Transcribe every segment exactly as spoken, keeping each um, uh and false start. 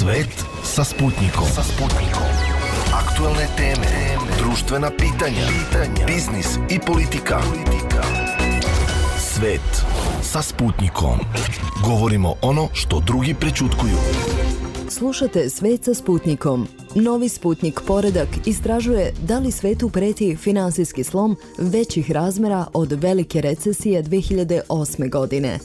Svet sa Sputnikom. Sa Sputnikom. Aktuelne teme, društvena pitanja, pitanja, biznis i politika. politika. Svet sa Sputnikom. Govorimo ono što drugi prećutkuju. Slušate Svet sa Sputnikom. Novi Sputnik Poredak istražuje da li svetu preti finansijski slom većih razmera od velike recesije dve hiljade osme. godine.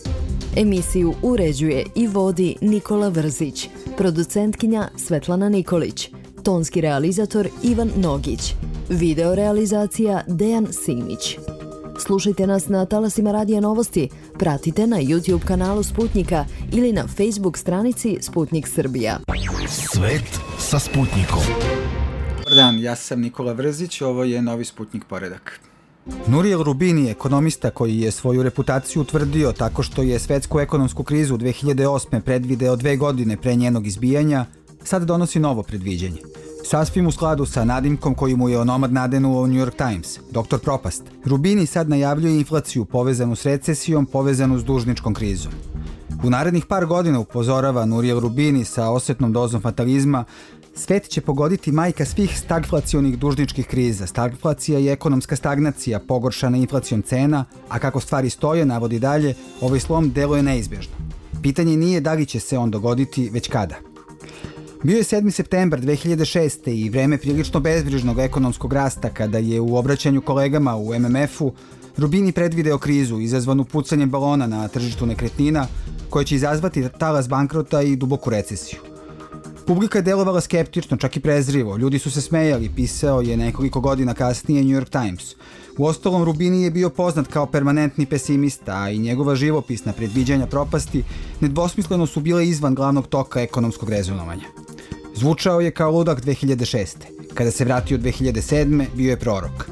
Emisiju uređuje i vodi Nikola Vrzić, producentkinja Svetlana Nikolić, tonski realizator Ivan Nogić, video realizacija Dejan Simić. Slušajte nas na talasima Radija Novosti, pratite na YouTube kanalu Sputnika ili na Facebook stranici Sputnik Srbija. Svet sa Sputnikom. Dobar dan, ja sam Nikola Vrzić, ovo je Novi Sputnik Poredak. Nouriel Roubini, ekonomista koji je svoju reputaciju utvrdio tako što je svetsku ekonomsku krizu dve hiljade osme. predvideo dve godine pre njenog izbijanja, sad donosi novo predviđenje. Sasvim u skladu sa nadimkom koji mu je onomad nadenuo New York Times, doktor Propast. Roubini sad najavljuje inflaciju povezanu s recesijom, povezanu s dužničkom krizom. U narednih par godina, upozorava Nouriel Roubini sa osetnom dozom fatalizma, svet će pogoditi majka svih stagflacionih dužničkih kriza. Stagflacija je ekonomska stagnacija, pogoršana inflacijom cena, a kako stvari stoje, navodi dalje, ovaj slom deluje neizbježno. Pitanje nije da li će se on dogoditi, već kada. Bio je sedmi septembar dve hiljade šeste. i vreme prilično bezbrižnog ekonomskog rasta kada je u obraćanju kolegama u em em efu Roubini predvideo krizu izazvanu pucanjem balona na tržištu nekretnina koja će izazvati talas bankrota i duboku recesiju. Publika je delovala skeptično, čak i prezrivo. Ljudi su se smejali, pisao je nekoliko godina kasnije New York Times. Uostalom, Roubini je bio poznat kao permanentni pesimista, a i njegova živopisna predviđanja propasti nedvosmisleno su bile izvan glavnog toka ekonomskog rezonovanja. Zvučao je kao ludak dve hiljade šeste. Kada se vratio dve hiljade sedme. bio je prorok.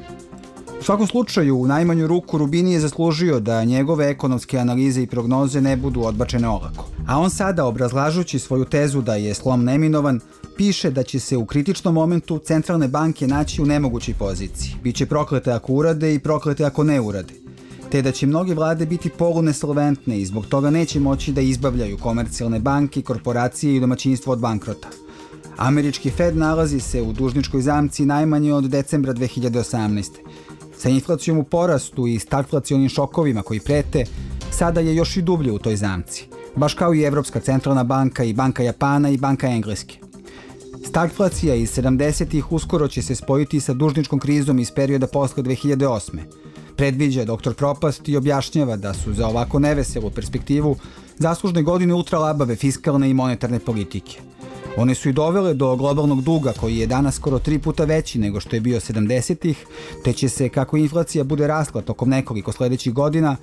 U svakom slučaju, u najmanju ruku, Roubini je zaslužio da njegove ekonomske analize i prognoze ne budu odbačene olako. A on sada, obrazlažući svoju tezu da je slom neminovan, piše da će se u kritičnom momentu centralne banke naći u nemogućoj poziciji. Biće proklete ako urade i proklete ako ne urade. Te da će mnoge vlade biti polunesolventne i zbog toga neće moći da izbavljaju komercijalne banke, korporacije i domaćinstvo od bankrota. Američki Fed nalazi se u dužničkoj zamci najmanje od decembra dve hiljade osamnaeste. Sa inflacijom u porastu i stagflacionim šokovima koji prete, sada je još i dublje u toj zamci. Baš kao i Evropska centralna banka i Banka Japana i Banka Engleske. Stagflacija iz sedamdesetih uskoro će se spojiti sa dužničkom krizom iz perioda posle dve hiljade osme. Predviđa doktor Propast i objašnjava da su za ovako neveselu perspektivu zaslužne godine ultralabave fiskalne i monetarne politike. One su i dovele do globalnog duga koji je danas skoro tri puta veći nego što je bio sedamdesetih, te će se, kako inflacija bude rasla tokom nekoliko sledećih godina,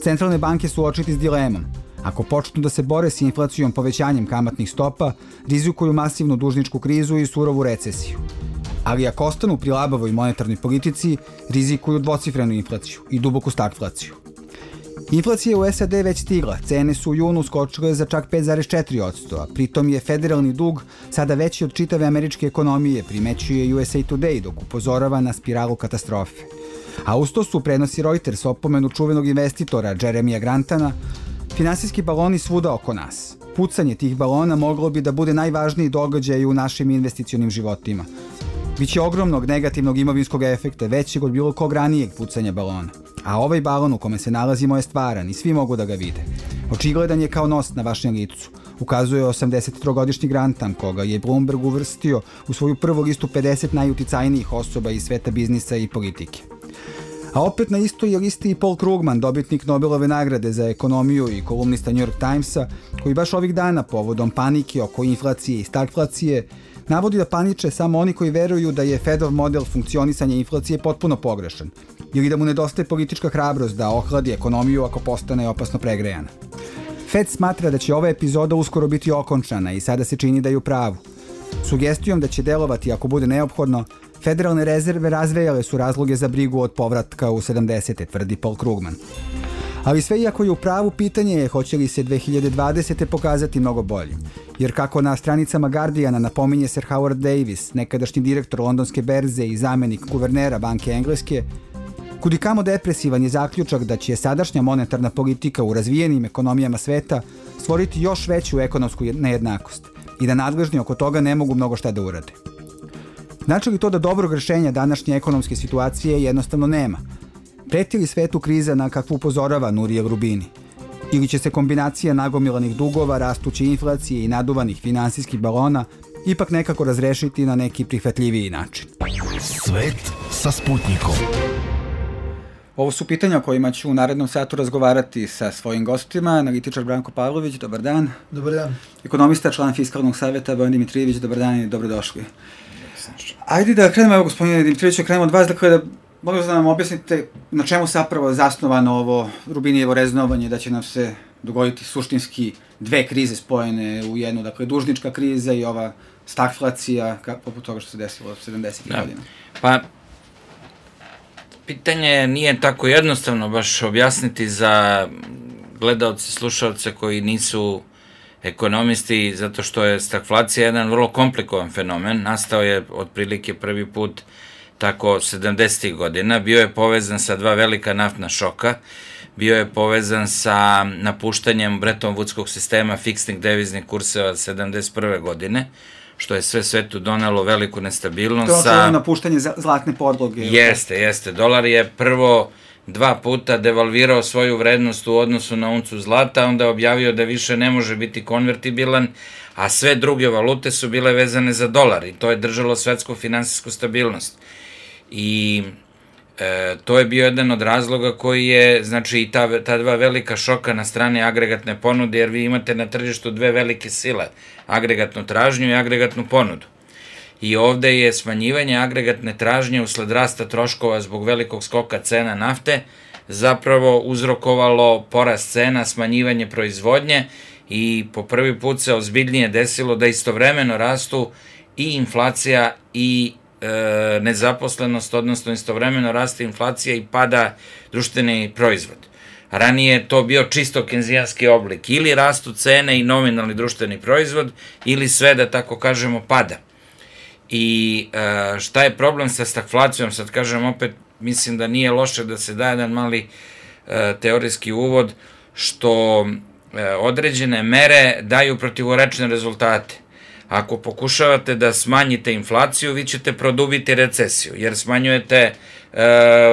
centralne banke suočiti s dilemom. Ako počnu da se bore s inflacijom povećanjem kamatnih stopa, rizikuju masivnu dužničku krizu i surovu recesiju. Ali ako ostanu pri labavoj monetarnoj politici, rizikuju dvocifrenu inflaciju i duboku stagflaciju. Inflacija u es a de već stigla, cene su u junu skočile za čak pet zarez četiri posto, a pritom je federalni dug sada veći od čitave američke ekonomije, primećuje U S A Today dok upozorava na spiralu katastrofe. A usto su, prenosi Reuters, opomenu čuvenog investitora Jeremija Grantana, finansijski baloni svuda oko nas. Pucanje tih balona moglo bi da bude najvažniji događaj u našim investicionim životima. Biće ogromnog negativnog imovinskog efekta, većeg od bilo kog ranijeg pucanja balona. A ovaj balon u kome se nalazimo je stvaran i svi mogu da ga vide. Očigledan je kao nos na vašem licu, ukazuje osamdesettrogodišnji Grantan, koga je Bloomberg uvrstio u svoju prvu listu pedeset najuticajnijih osoba iz sveta biznisa i politike. A opet na istoj je listi i Paul Krugman, dobitnik Nobelove nagrade za ekonomiju i kolumnista New York Timesa, koji baš ovih dana povodom panike oko inflacije i stagflacije navodi da paniče samo oni koji veruju da je Fedov model funkcionisanja inflacije potpuno pogrešan ili da mu nedostaje politička hrabrost da ohladi ekonomiju ako postane opasno pregrejana. Fed smatra da će ova epizoda uskoro biti okončana i sada se čini da je u pravu. Sugestijom da će delovati ako bude neophodno, federalne rezerve razvejale su razloge za brigu od povratka u sedamdesete, tvrdi Paul Krugman. Ali sve iako je u pravu, pitanje je hoće li se dve hiljade dvadesete. pokazati mnogo bolje. Jer kako na stranicama Guardiana napominje Sir Howard Davis, nekadašnji direktor londonske berze i zamenik guvernera Banke Engleske, kudikamo depresivan je zaključak da će sadašnja monetarna politika u razvijenim ekonomijama sveta stvoriti još veću ekonomsku nejednakost i da nadležni oko toga ne mogu mnogo šta da urade. Znači li to da dobrog rešenja današnje ekonomske situacije jednostavno nema? Preti li svetu kriza na kakvu upozorava Nuriel Rubini? Ili će se kombinacija nagomilanih dugova, rastuće inflacije i naduvanih finansijskih balona ipak nekako razrešiti na neki prihvatljiviji način? Svet sa Sputnikom. Ovo su pitanja o kojima ću u narednom satu razgovarati sa svojim gostima. Analitičar Branko Pavlović, dobar dan. Dobar dan. Ekonomista, član Fiskalnog saveta Bojan Dimitrijević, dobar dan i dobrodošli. Ajde da krenemo, evo gospodine Dimitrijeviću, krenemo od vas, dakle da molim da nam objasnite na čemu se zapravo zasnovano ovo Rubinijevo reznovanje, da će nam se dogoditi suštinski dve krize spojene u jednu, dakle dužnička kriza i ova stagflacija, poput toga što se desilo od sedamdesetih godina. Pa, pitanje nije tako jednostavno baš objasniti za gledaoce, slušalce koji nisu ekonomisti, zato što je stagflacija jedan vrlo komplikovan fenomen. Nastao je otprilike prvi put tako sedamdesetih godina, bio je povezan sa dva velika naftna šoka, bio je povezan sa napuštanjem Bretton Woodskog sistema fiksnih deviznih kurseva sedamdeset prve godine, što je sve svetu donelo veliku nestabilnost. To je napuštanje zlatne podloge. Jeste, jeste. Dolar je prvo dva puta devalvirao svoju vrednost u odnosu na uncu zlata, onda je objavio da više ne može biti konvertibilan, a sve druge valute su bile vezane za dolar i to je držalo svetsku finansijsku stabilnost. I e, to je bio jedan od razloga koji je, znači, i ta, ta dva velika šoka na strani agregatne ponude, jer vi imate na tržištu dve velike sile, agregatnu tražnju i agregatnu ponudu. I ovde je smanjivanje agregatne tražnje usled rasta troškova zbog velikog skoka cena nafte zapravo uzrokovalo porast cena, smanjivanje proizvodnje i po prvi put se ozbiljnije desilo da istovremeno rastu i inflacija i e, nezaposlenost, odnosno istovremeno raste inflacija i pada društveni proizvod. Ranije je to bio čisto kenzijanski oblik, ili rastu cene i nominalni društveni proizvod, ili sve, da tako kažemo, pada. I e, šta je problem sa stagflacijom, sad kažem opet, mislim da nije loše da se da jedan mali e, teorijski uvod, što e, određene mere daju protivorečne rezultate. Ako pokušavate da smanjite inflaciju, vi ćete produbiti recesiju, jer smanjujete e,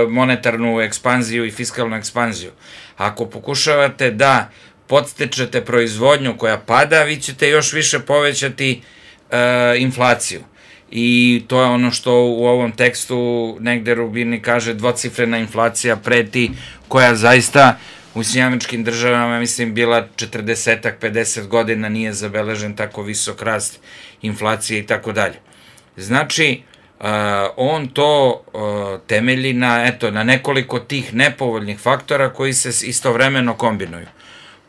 monetarnu ekspanziju i fiskalnu ekspanziju. Ako pokušavate da podstičete proizvodnju koja pada, vi ćete još više povećati e, inflaciju. I to je ono što u ovom tekstu negde Rubini kaže, dvocifrena inflacija preti, koja zaista u Sjedinjenim Državama, mislim, bila četrdeset pedeset godina, nije zabeležen tako visok rast inflacije i tako dalje. Znači, uh, on to uh, temelji na, eto, na nekoliko tih nepovoljnih faktora koji se istovremeno kombinuju.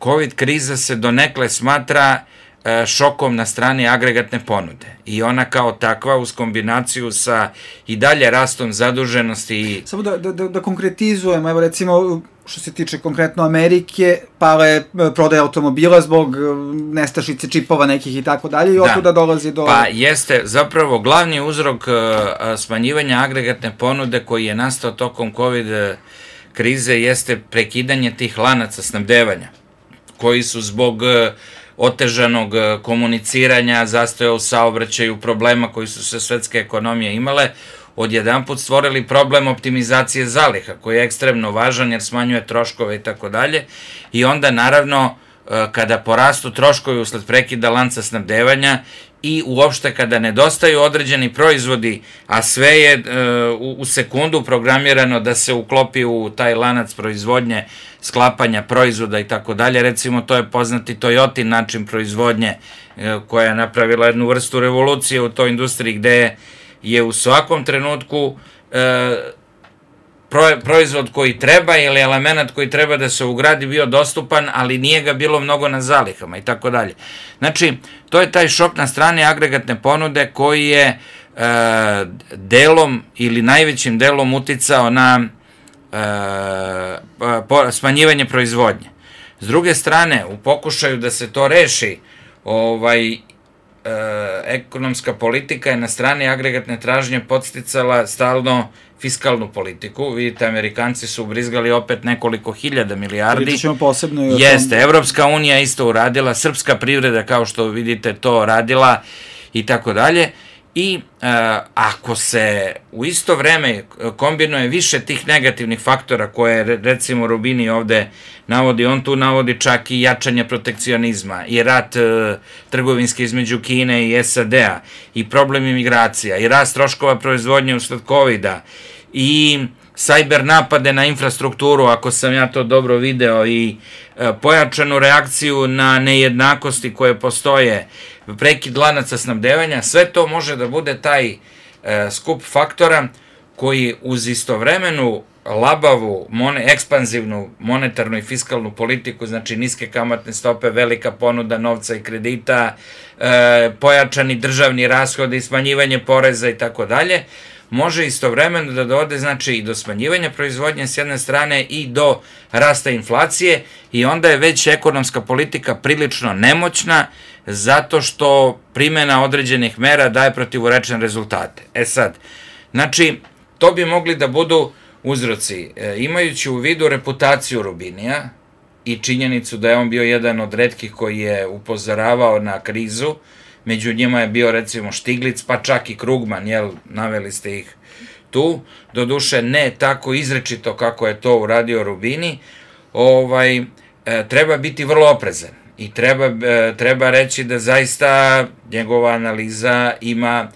Covid kriza se donekle smatra šokom na strani agregatne ponude i ona kao takva uz kombinaciju sa i dalje rastom zaduženosti. Samo da, da, da konkretizujemo, evo recimo što se tiče konkretno Amerike, pala je prodaja automobila zbog nestašice čipova nekih i tako dalje i otuda dolazi do... Pa jeste, zapravo glavni uzrok smanjivanja agregatne ponude koji je nastao tokom COVID krize jeste prekidanje tih lanaca snabdevanja koji su zbog otežanog komuniciranja, zastoja u saobraćaju, problema koji su sve svetske ekonomije imale, odjedanput stvorili problem optimizacije zaliha, koji je ekstremno važan jer smanjuje troškove i tako dalje. I onda, naravno, kada porastu troškovi usled prekida lanca snabdevanja i uopšte kada nedostaju određeni proizvodi, a sve je u sekundu programirano da se uklopi u taj lanac proizvodnje, sklapanja proizvoda i tako dalje. Recimo, to je poznati Toyotin način proizvodnje koja je napravila jednu vrstu revolucije u toj industriji gde je u svakom trenutku proizvod koji treba ili element koji treba da se ugradi bio dostupan, ali nije ga bilo mnogo na zalihama i tako dalje. Znači, to je taj šok na strani agregatne ponude koji je e, delom ili najvećim delom uticao na e, po, smanjivanje proizvodnje. S druge strane, u pokušaju da se to reši, ovaj, ekonomska politika je na strani agregatne tražnje podsticala stalno fiskalnu politiku. Vidite, Amerikanci su ubrizgali opet nekoliko hiljada milijardi. Pričat ćemo posebno i o tom. Jeste, Evropska unija isto uradila, srpska privreda, kao što vidite, to radila i tako dalje. I e, ako se u isto vreme kombinuje više tih negativnih faktora koje, recimo, Rubini ovde navodi, on tu navodi čak i jačanje protekcionizma i rat e, trgovinski između Kine i S A D-a i problem imigracija i rast troškova proizvodnje usled kovida i sajber napade na infrastrukturu, ako sam ja to dobro video, i e, pojačanu reakciju na nejednakosti koje postoje, prekid lanaca snabdevanja, sve to može da bude taj e, skup faktora koji uz istovremenu labavu, mone, ekspanzivnu monetarnu i fiskalnu politiku, znači niske kamatne stope, velika ponuda novca i kredita, e, pojačani državni rashodi, smanjivanje poreza i tako dalje, može istovremeno da dovede, znači, i do smanjivanja proizvodnje s jedne strane i do rasta inflacije, i onda je već ekonomska politika prilično nemoćna zato što primena određenih mera daje protivurečne rezultate. E sad, znači, to bi mogli da budu uzroci. E, imajući u vidu reputaciju Rubinija i činjenicu da je on bio jedan od retkih koji je upozoravao na krizu, među njima je bio, recimo, Štiglic, pa čak i Krugman, jel, naveli ste ih tu, doduše ne tako izrečito kako je to uradio Rubini, ovaj, e, treba biti vrlo oprezan i treba, e, treba reći da zaista njegova analiza ima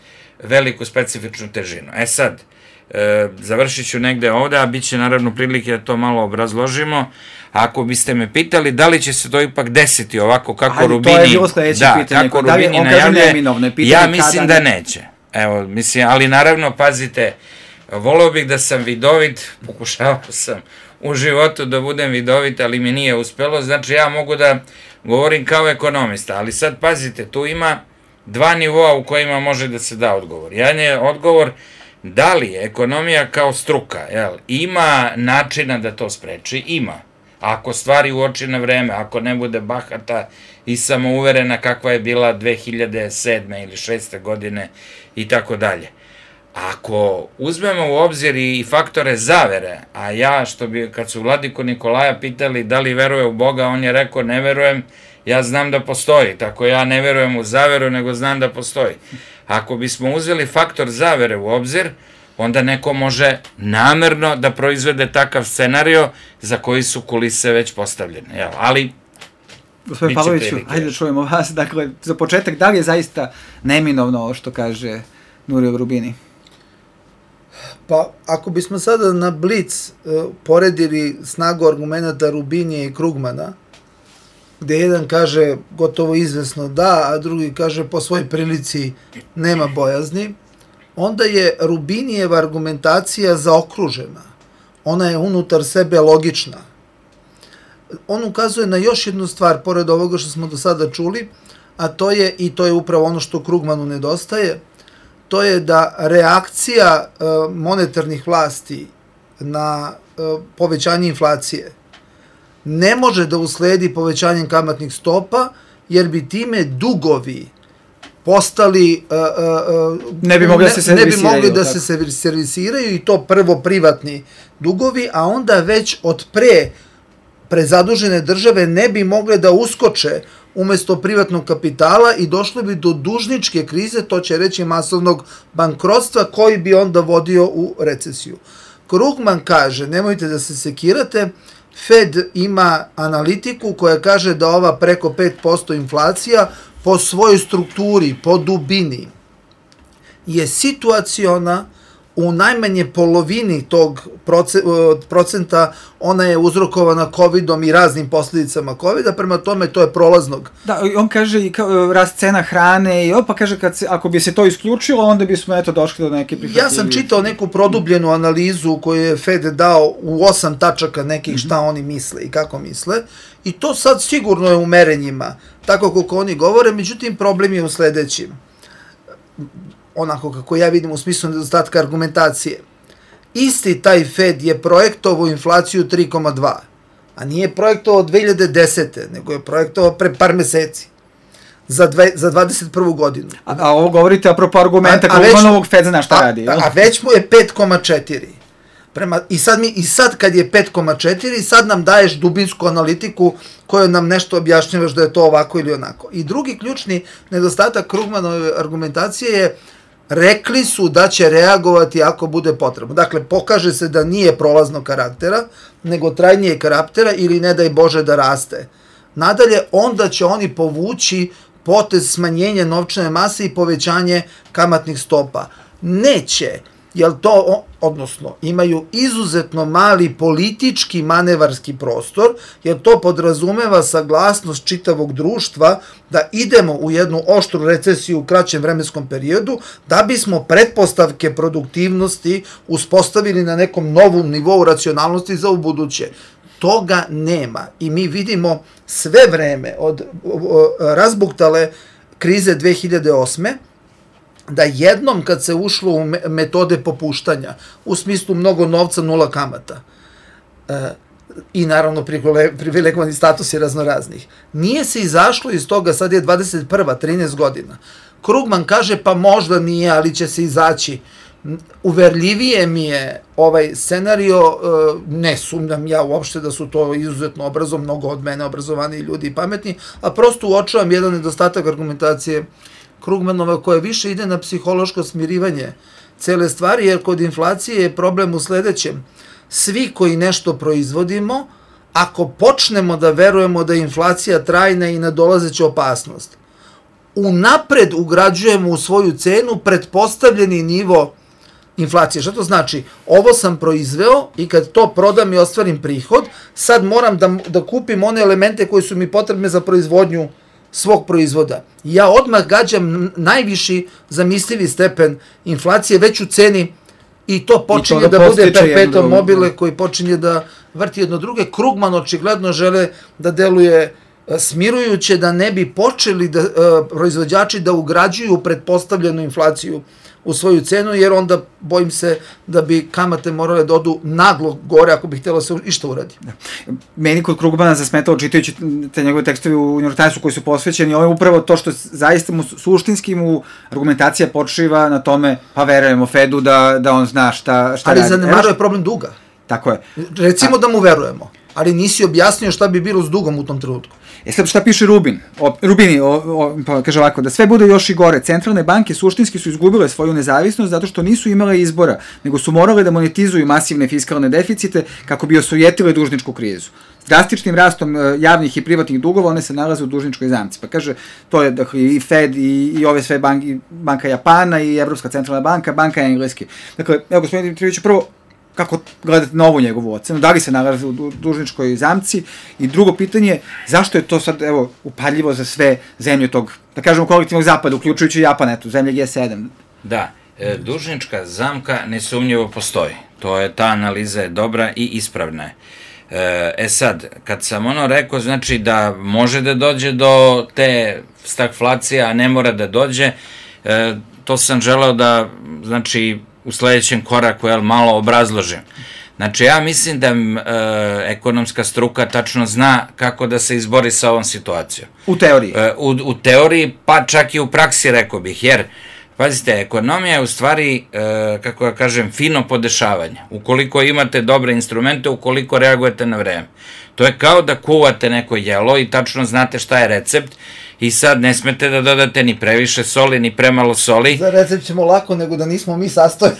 veliku specifičnu težinu. E sad, e, završit ću negde ovde, a bit će naravno prilike da to malo obrazložimo. Ako biste me pitali da li će se to ipak desiti ovako kako Rubini, to je bilo sledeće da, pitanje, kako da li, Rubini on kaže najavlja, neminovno, pitanje ja mislim kada da neće. Evo, mislim, ali naravno, pazite, voleo bih da sam vidovit, pokušavao sam u životu da budem vidovit, ali mi nije uspelo, znači ja mogu da govorim kao ekonomista, ali sad pazite, tu ima dva nivoa u kojima može da se da odgovor. Jedan je odgovor da li ekonomija kao struka, jel, ima načina da to spreči, ima. Ako stvari uoči na vreme, ako ne bude bahata i samouverena kakva je bila dve hiljade sedme ili šeste godine i tako dalje. Ako uzmemo u obzir i faktore zavere, a ja, što bi, kad su vladiku Nikolaja pitali da li veruje u Boga, on je rekao ne verujem, ja znam da postoji, tako ja ne verujem u zaveru, nego znam da postoji. Ako bismo uzeli faktor zavere u obzir, onda neko može namerno da proizvede takav scenario za koji su kulise već postavljene. Jel? Ali, gospodin Pavloviću, hajde da čujemo vas. Dakle, za početak, da li je zaista neminovno ovo što kaže Nuriel Rubini? Pa, ako bismo sada na blic uh, poredili snagu argumenta Rubinija i Krugmana, gde jedan kaže gotovo izvesno da, a drugi kaže po svoj prilici nema bojazni, onda je Rubinijeva argumentacija zaokružena. Ona je unutar sebe logična. On ukazuje na još jednu stvar, pored ovoga što smo do sada čuli, a to je, i to je upravo ono što Krugmanu nedostaje, to je da reakcija e, monetarnih vlasti na e, povećanje inflacije ne može da usledi povećanjem kamatnih stopa, jer bi time dugovi postali, uh, uh, ne bi mogli, ne, da, se ne bi mogli da se servisiraju, i to prvo privatni dugovi, a onda već od pre prezadužene države ne bi mogle da uskoče umesto privatnog kapitala i došlo bi do dužničke krize, to će reći masovnog bankrotstva, koji bi onda vodio u recesiju. Krugman kaže, nemojte da se sekirate, Fed ima analitiku koja kaže da ova preko pet posto inflacija po svojoj strukturi, po dubini, je situaciona, u najmanje polovini tog procenta ona je uzrokovana kovidom i raznim posljedicama kovida, prema tome to je prolaznog. Da, on kaže i kao, rast cena hrane i opa kaže kad se, ako bi se to isključilo, onda bismo eto došli do neke prihvatljivije. Ja sam čitao neku produbljenu analizu koju je Fed dao u osam tačaka nekih šta mm-hmm. oni misle i kako misle, i to sad sigurno je u merenjima, tako kako oni govore, međutim problem je u sledećim. Onako kako ja vidim u smislu nedostatka argumentacije. Isti taj Fed je projektovao inflaciju tri zarez dva, a nije projektovao dve hiljade desete, nego je projektovao pre par meseci. za, dve, za dvadeset prvu godinu. A, a ovo govorite apropo argumenta Krugmanovog, Fed zna šta a, radi. A, a već mu je pet zarez četiri. Prema, i, sad mi, I sad kad je pet zarez četiri, sad nam daješ dubinsku analitiku koju nam nešto objašnjavaš da je to ovako ili onako. I drugi ključni nedostatak Krugmanove argumentacije je rekli su da će reagovati ako bude potrebno. Dakle, pokaže se da nije prolaznog karaktera, nego trajnije karaktera ili ne daj Bože da raste. Nadalje, onda će oni povući potez smanjenja novčane mase i povećanje kamatnih stopa. Neće, jer to, odnosno, imaju izuzetno mali politički manevarski prostor, jer to podrazumeva saglasnost čitavog društva da idemo u jednu oštru recesiju u kraćem vremenskom periodu, da bismo pretpostavke produktivnosti uspostavili na nekom novom nivou racionalnosti za ubuduće. Toga nema i mi vidimo sve vreme od razbuktale krize dve hiljade osme da jednom kad se ušlo u metode popuštanja, u smislu mnogo novca, nula kamata, e, i naravno privilegovani statusi raznoraznih, nije se izašlo iz toga, sad je dvadeset prva, trinaest godina. Krugman kaže pa možda nije, ali će se izaći. Uverljivije mi je ovaj scenario, ne sumnjam ja uopšte da su to izuzetno obrazom, mnogo od mene obrazovani ljudi i pametni, a prosto uočavam jedan nedostatak argumentacije Krugmanova koja više ide na psihološko smirivanje cele stvari, jer kod inflacije je problem u sledećem. Svi koji nešto proizvodimo, ako počnemo da verujemo da je inflacija trajna i nadolazeća opasnost, unapred ugrađujemo u svoju cenu pretpostavljeni nivo inflacije. Što to znači? Ovo sam proizveo i kad to prodam i ostvarim prihod, sad moram da, da kupim one elemente koji su mi potrebne za proizvodnju svog proizvoda. Ja odmah gađam najviši zamislivi stepen inflacije već u ceni i to počinje I to da, da bude perpetuum mobile koji počinje da vrti jedno druge. Krugman očigledno žele da deluje smirujuće, da ne bi počeli da, uh, proizvođači da ugrađuju pretpostavljenu inflaciju u svoju cenu, jer onda bojim se da bi kamate morale da odu naglo gore ako bi htjelo se išta uradi. Da. Meni kod Krugmana zasmetalo čitajući te njegove tekstove u New York Timesu koji su posvećeni, ovo je upravo to što zaista mu suštinski mu argumentacija počiva na tome, pa verujemo Fedu da, da on zna šta, šta ali radi. Ali zanemaruje problem duga. Tako je. Recimo A... da mu verujemo, ali nisi objasnio šta bi bilo s dugom u tom trenutku. E sad šta piše Rubin? O, Rubini, o, o, pa kaže ovako, da sve bude još i gore. Centralne banke suštinski su izgubile svoju nezavisnost zato što nisu imale izbora, nego su morale da monetizuju masivne fiskalne deficite kako bi osujetile dužničku krizu. S drastičnim rastom javnih i privatnih dugova one se nalaze u dužničkoj zamci. Pa kaže, to je dakle, i Fed i, i ove sve banke, banka Japana i Evropska centralna banka, banka Engleske. Dakle, evo gospodin Dimitrijević, prvo, kako gledate na ovu njegovu ocenu, da li se nalazi u dužničkoj zamci i drugo pitanje, zašto je to sad, evo, upaljivo za sve zemlje tog, da kažemo, kolektivnog zapada, uključujući Japan, eto, zemlje G sedam? Da, e, dužnička zamka nesumnjivo postoji. To je, ta analiza je dobra i ispravna je. E sad, kad sam ono rekao, znači da može da dođe do te stagflacije, a ne mora da dođe, e, to sam želeo da, znači, u sledećem koraku, jel, malo obrazložim. Znači, ja mislim da e, ekonomska struka tačno zna kako da se izbori sa ovom situacijom. U teoriji? E, u, u teoriji, pa čak i u praksi, rekao bih, jer, pazite, ekonomija je u stvari, e, kako ja kažem, fino podešavanje. Ukoliko imate dobre instrumente, ukoliko reagujete na vreme. To je kao da kuvate neko jelo i tačno znate šta je recept, i sad ne smete da dodate ni previše soli, ni premalo soli. Za recept ćemo lako, nego da nismo mi sastojak.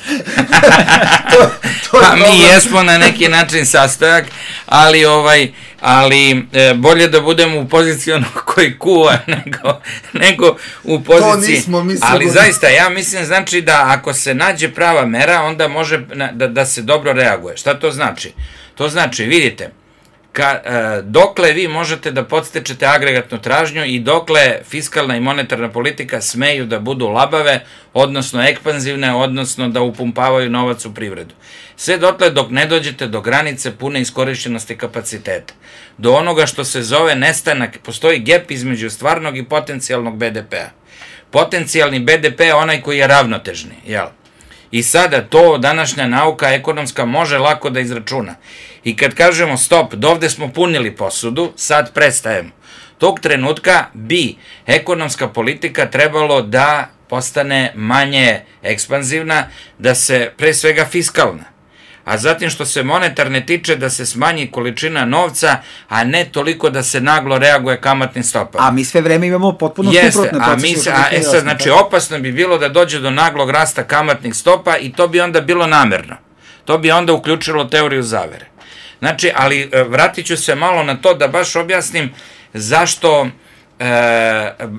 to, to pa mi dobro. Jesmo na neki način sastojak, ali ovaj, ali e, bolje da budemo u poziciji onog koji kuva, nego, nego u poziciji. To nismo mi ali sigurno. Zaista, ja mislim, znači da ako se nađe prava mera, onda može da, da se dobro reaguje. Šta to znači? To znači, vidite, Ka, e, dokle vi možete da podstičete agregatnu tražnju i dokle fiskalna i monetarna politika smeju da budu labave, odnosno ekspanzivne, odnosno da upumpavaju novac u privredu. Sve dotle dok ne dođete do granice pune iskorišćenosti kapaciteta. Do onoga što se zove nestanak, postoji gap između stvarnog i potencijalnog be de pe-a. Potencijalni be de pe je onaj koji je ravnotežni, jel? I sada to današnja nauka ekonomska može lako da izračuna. I kad kažemo stop, dovde smo punili posudu, sad prestajemo. tog trenutka bi ekonomska politika trebalo da postane manje ekspanzivna, da se pre svega fiskalna. A zatim što se monetarne tiče da se smanji količina novca, a ne toliko da se naglo reaguje kamatnim stopama. A mi sve vreme imamo potpuno Jeste, suprotne a mi, procese. a, e sad, znači, opasno bi bilo da dođe do naglog rasta kamatnih stopa i to bi onda bilo namerno. To bi onda uključilo teoriju zavere. Znači, ali vratit ću se malo na to da baš objasnim zašto e,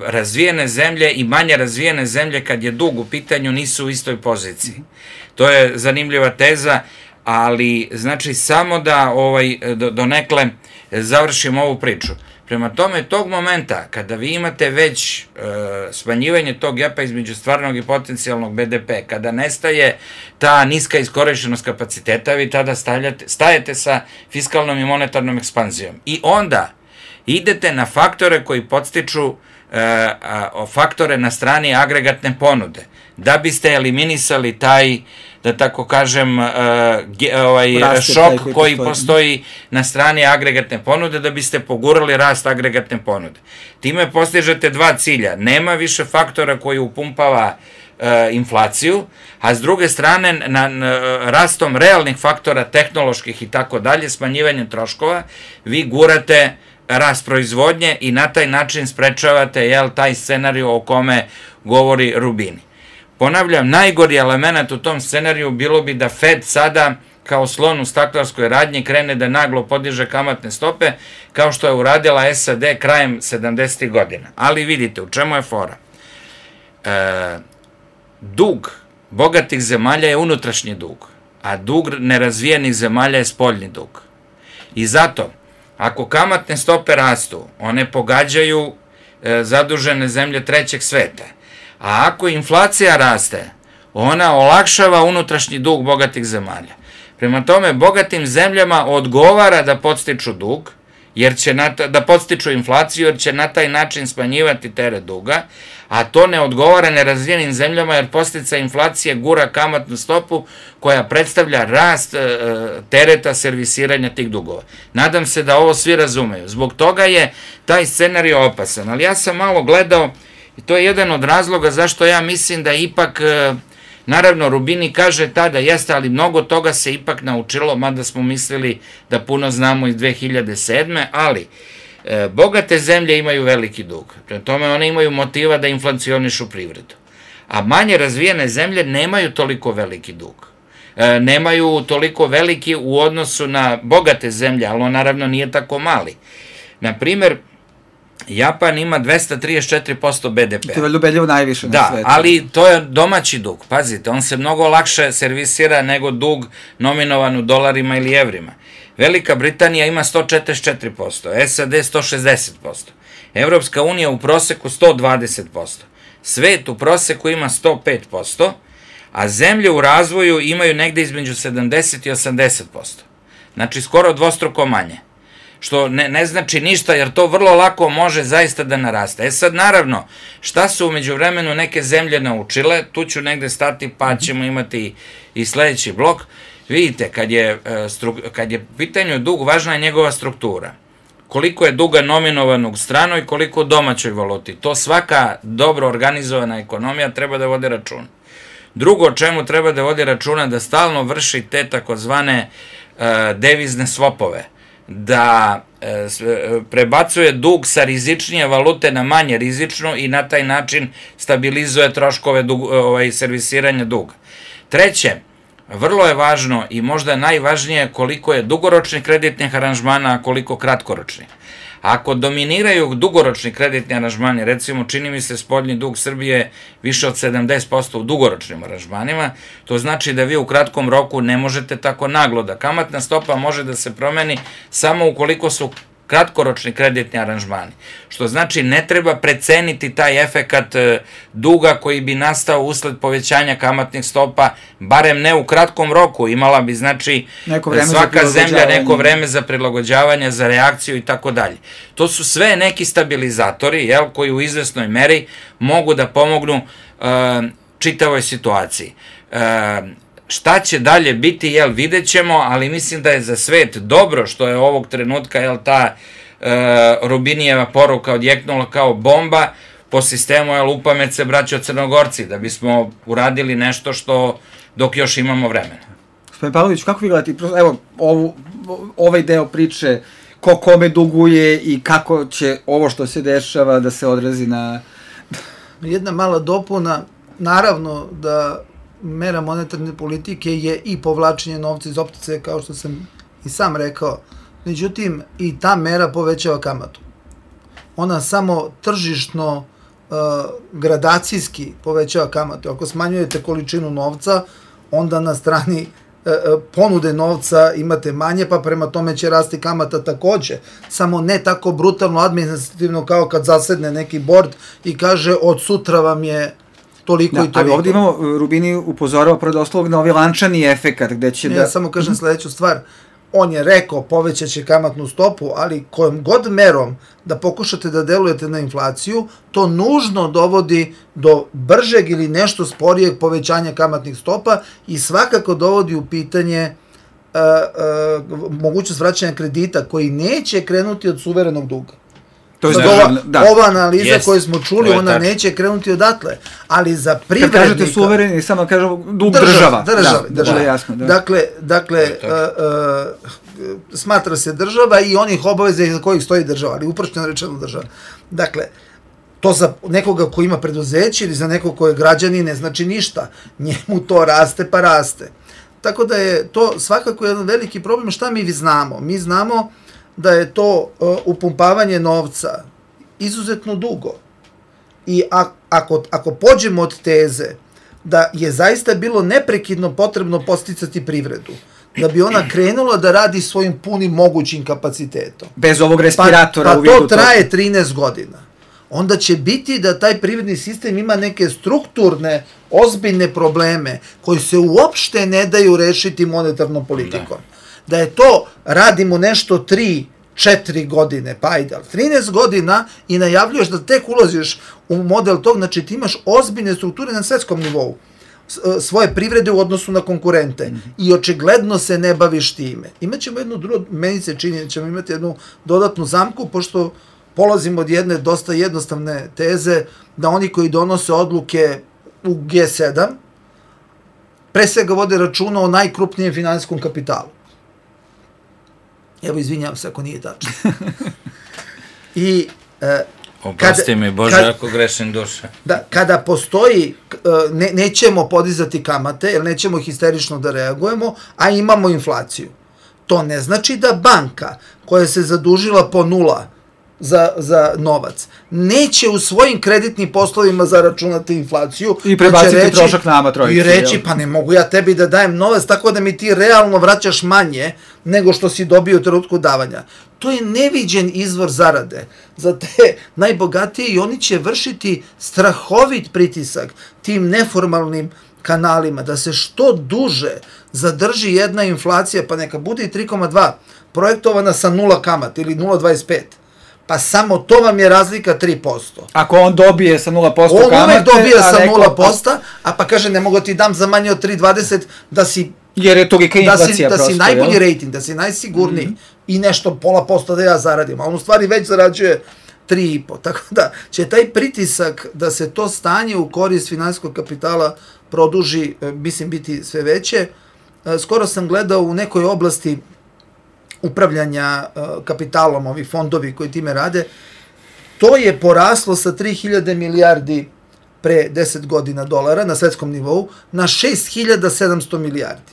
razvijene zemlje i manje razvijene zemlje kad je dug u pitanju nisu u istoj poziciji. To je zanimljiva teza, ali znači samo da ovaj, do, donekle završimo ovu priču. Prema tome, tog momenta, kada vi imate već e, smanjivanje tog gepa između stvarnog i potencijalnog be de pe, kada nestaje ta niska iskorišćenost kapaciteta, vi tada stavljate, stajete sa fiskalnom i monetarnom ekspanzijom. I onda idete na faktore koji podstiču e, a, faktore na strani agregatne ponude, da biste eliminisali taj, da tako kažem, uh, ge, ovaj, šok koji, koji postoji na strani agregatne ponude, da biste pogurali rast agregatne ponude. Time postižete dva cilja. Nema više faktora koji upumpava uh, inflaciju, a s druge strane, na, na, rastom realnih faktora, tehnoloških i tako dalje, smanjivanjem troškova, vi gurate rast proizvodnje i na taj način sprečavate, jel, taj scenariju o kome govori Rubini. Ponavljam, najgori element u tom scenariju bilo bi da Fed sada kao slon u staklarskoj radnji krene da naglo podiže kamatne stope, kao što je uradila es a de krajem sedamdesetih godina. Ali vidite, u čemu je fora? E, dug bogatih zemalja je unutrašnji dug, a dug nerazvijenih zemalja je spoljni dug. I zato, ako kamatne stope rastu, one pogađaju e, zadužene zemlje trećeg sveta. A ako inflacija raste, ona olakšava unutrašnji dug bogatih zemalja. Prema tome, bogatim zemljama odgovara da podstiču dug, jer će na ta, da podstiču inflaciju, jer će na taj način smanjivati teret duga, a to ne odgovara nerazvijenim zemljama, jer posljedica inflacije gura kamatnu stopu koja predstavlja rast e, tereta servisiranja tih dugova. Nadam se da ovo svi razumeju. Zbog toga je taj scenarij opasan, ali ja sam malo gledao. I to je jedan od razloga zašto ja mislim da ipak, naravno Rubini kaže tada jeste, ali mnogo toga se ipak naučilo, mada smo mislili da puno znamo iz dve hiljade sedme. Ali e, bogate zemlje imaju veliki dug, prema tome one imaju motiva da inflacionišu privredu. A manje razvijene zemlje nemaju toliko veliki dug. E, nemaju toliko veliki u odnosu na bogate zemlje, ali on naravno nije tako mali. Naprimer, Japan ima dvesta trideset četiri posto be de pe. To je ljubeljivo najviše na da, svetu. Da, ali to je domaći dug. Pazite, on se mnogo lakše servisira nego dug nominovan u dolarima ili evrima. Velika Britanija ima sto četrdeset četiri posto, es a de sto šezdeset posto, Evropska unija u proseku sto dvadeset posto, svet u proseku ima sto pet posto, a zemlje u razvoju imaju negde između sedamdeset i osamdeset posto. Znači, skoro dvostruko manje. Što ne, ne znači ništa, jer to vrlo lako može zaista da naraste. E sad, naravno, šta su umeđu vremenu neke zemlje naučile, tu ću negde stati, pa ćemo imati i sledeći blok. Vidite, kad je, kad je pitanju dug, važna je njegova struktura. Koliko je duga nominovanog stranoj i koliko u domaćoj valuti. To svaka dobro organizovana ekonomija treba da vodi račun. Drugo, o čemu treba da vodi računa, da stalno vrši te takozvane uh, devizne swapove, da e, prebacuje dug sa rizičnije valute na manje rizičnu i na taj način stabilizuje troškove dug, ovaj, servisiranja duga. Treće, vrlo je važno i možda najvažnije koliko je dugoročnih kreditnih aranžmana, a koliko kratkoročnih. Ako dominiraju dugoročni kreditni aranžmani, recimo čini mi se spoljni dug Srbije više od sedamdeset posto u dugoročnim aranžmanima, to znači da vi u kratkom roku ne možete tako naglo, da kamatna stopa može da se promeni samo ukoliko su kratkoročni kreditni aranžmani. Što znači ne treba preceniti taj efekat duga koji bi nastao usled povećanja kamatnih stopa, barem ne u kratkom roku. Imala bi, znači, svaka zemlja neko vreme za prilagođavanje, za reakciju i tako dalje. To su sve neki stabilizatori, jel, koji u izvesnoj meri mogu da pomognu uh, čitavoj situaciji. Uh, Šta će dalje biti, jel, vidjet ćemo, ali mislim da je za svet dobro što je ovog trenutka, jel, ta e, Rubinijeva poruka odjeknula kao bomba po sistemu, jel, upamet se braćo Crnogorci, da bismo uradili nešto što dok još imamo vremena. Gospodin Pavlović, kako vi gledate, evo, ovu, ovaj deo priče, ko kome duguje i kako će ovo što se dešava da se odrazi na... Jedna mala dopuna, naravno da mera monetarne politike je i povlačenje novca iz opticaja, kao što sam i sam rekao. Međutim, i ta mera povećava kamatu. Ona samo tržišno, uh, gradacijski povećava kamatu. Ako smanjujete količinu novca, onda na strani ponude novca imate manje, pa prema tome će rasti kamata takođe. Samo ne tako brutalno administrativno kao kad zasedne neki bord i kaže od sutra vam je toliko da, i toliko. Ali ovdje imamo, Rubini upozorao predoslovno na ovaj lančani efekat gde će ne, da... Ja samo kažem sledeću stvar. On je rekao povećat će kamatnu stopu, ali kojom god merom da pokušate da delujete na inflaciju, to nužno dovodi do bržeg ili nešto sporijeg povećanja kamatnih stopa i svakako dovodi u pitanje uh, uh, mogućnost vraćanja kredita koji neće krenuti od suverenog duga. To je ova, da. ova analiza yes. koju smo čuli, ona tač. neće krenuti odatle, ali za privrednika... Kad kažete suvereni, samo kažemo dug država. Država, država. Da, država. Jasno, da. Dakle, dakle uh, uh, smatra se država i onih obaveza iza kojih stoji država, ali uprošćeno rečeno država. Dakle, to za nekoga ko ima preduzeće ili za nekog ko je građanin ne znači ništa. Njemu to raste pa raste. Tako da je to svakako jedan veliki problem. Šta mi znamo? Mi znamo da je to uh, upumpavanje novca izuzetno dugo. I a, ako, ako pođemo od teze da je zaista bilo neprekidno potrebno posticati privredu, da bi ona krenula da radi svojim punim mogućim kapacitetom. Bez ovog respiratora pa, pa u vidu to traje trinaest godina. Onda će biti da taj privredni sistem ima neke strukturne, ozbiljne probleme koji se uopšte ne daju rešiti monetarnom politikom. Da. Da je to, radimo nešto tri, četiri godine, pa ajde, ali trinaest godina i najavljuješ da tek ulaziš u model tog, znači ti imaš ozbiljne strukture na svetskom nivou, svoje privrede u odnosu na konkurente mm-hmm. i očigledno se ne baviš time. Imaćemo jednu drugu, meni se čini da ćemo imati jednu dodatnu zamku, pošto polazimo od jedne dosta jednostavne teze da oni koji donose odluke u G sedam pre svega vode računa o najkrupnijem finansijskom kapitalu. Evo, izvinjam se ako nije tačno. I e, Oprosti mi, Bože, kad, ako grešim duša. Da, kada postoji, ne, nećemo podizati kamate, jer nećemo histerično da reagujemo, a imamo inflaciju. To ne znači da banka koja se zadužila po nula za, za novac, neće u svojim kreditnim poslovima zaračunati inflaciju. I prebaciti reći, trošak nama trojici. I reći, jel? Pa ne mogu ja tebi da dajem novac, tako da mi ti realno vraćaš manje nego što si dobio u trenutku davanja. To je neviđen izvor zarade za te najbogatije i oni će vršiti strahovit pritisak tim neformalnim kanalima, da se što duže zadrži jedna inflacija, pa neka bude i tri zarez dva, projektovana sa nula kamat ili nula zarez dvadeset pet. Pa samo to vam je razlika tri posto. Ako on dobije sa nula posto kamate... On uvek dobije sa neko... nula posto, a pa kaže ne mogu ti dam za manje od tri zarez dvadeset da si... Jer je tolika inflacija da si, prosto, da si najbolji rating, da si najsigurniji mm-hmm. i nešto pola posto da ja zaradim. A on u stvari već zarađuje tri zarez pet. Tako da će taj pritisak da se to stanje u korist finansijskog kapitala produži, mislim, biti sve veće. Skoro sam gledao u nekoj oblasti upravljanja uh, kapitalom, ovi fondovi koji time rade, to je poraslo sa tri hiljade milijardi pre deset godina dolara na svetskom nivou na šest hiljada sedamsto milijardi.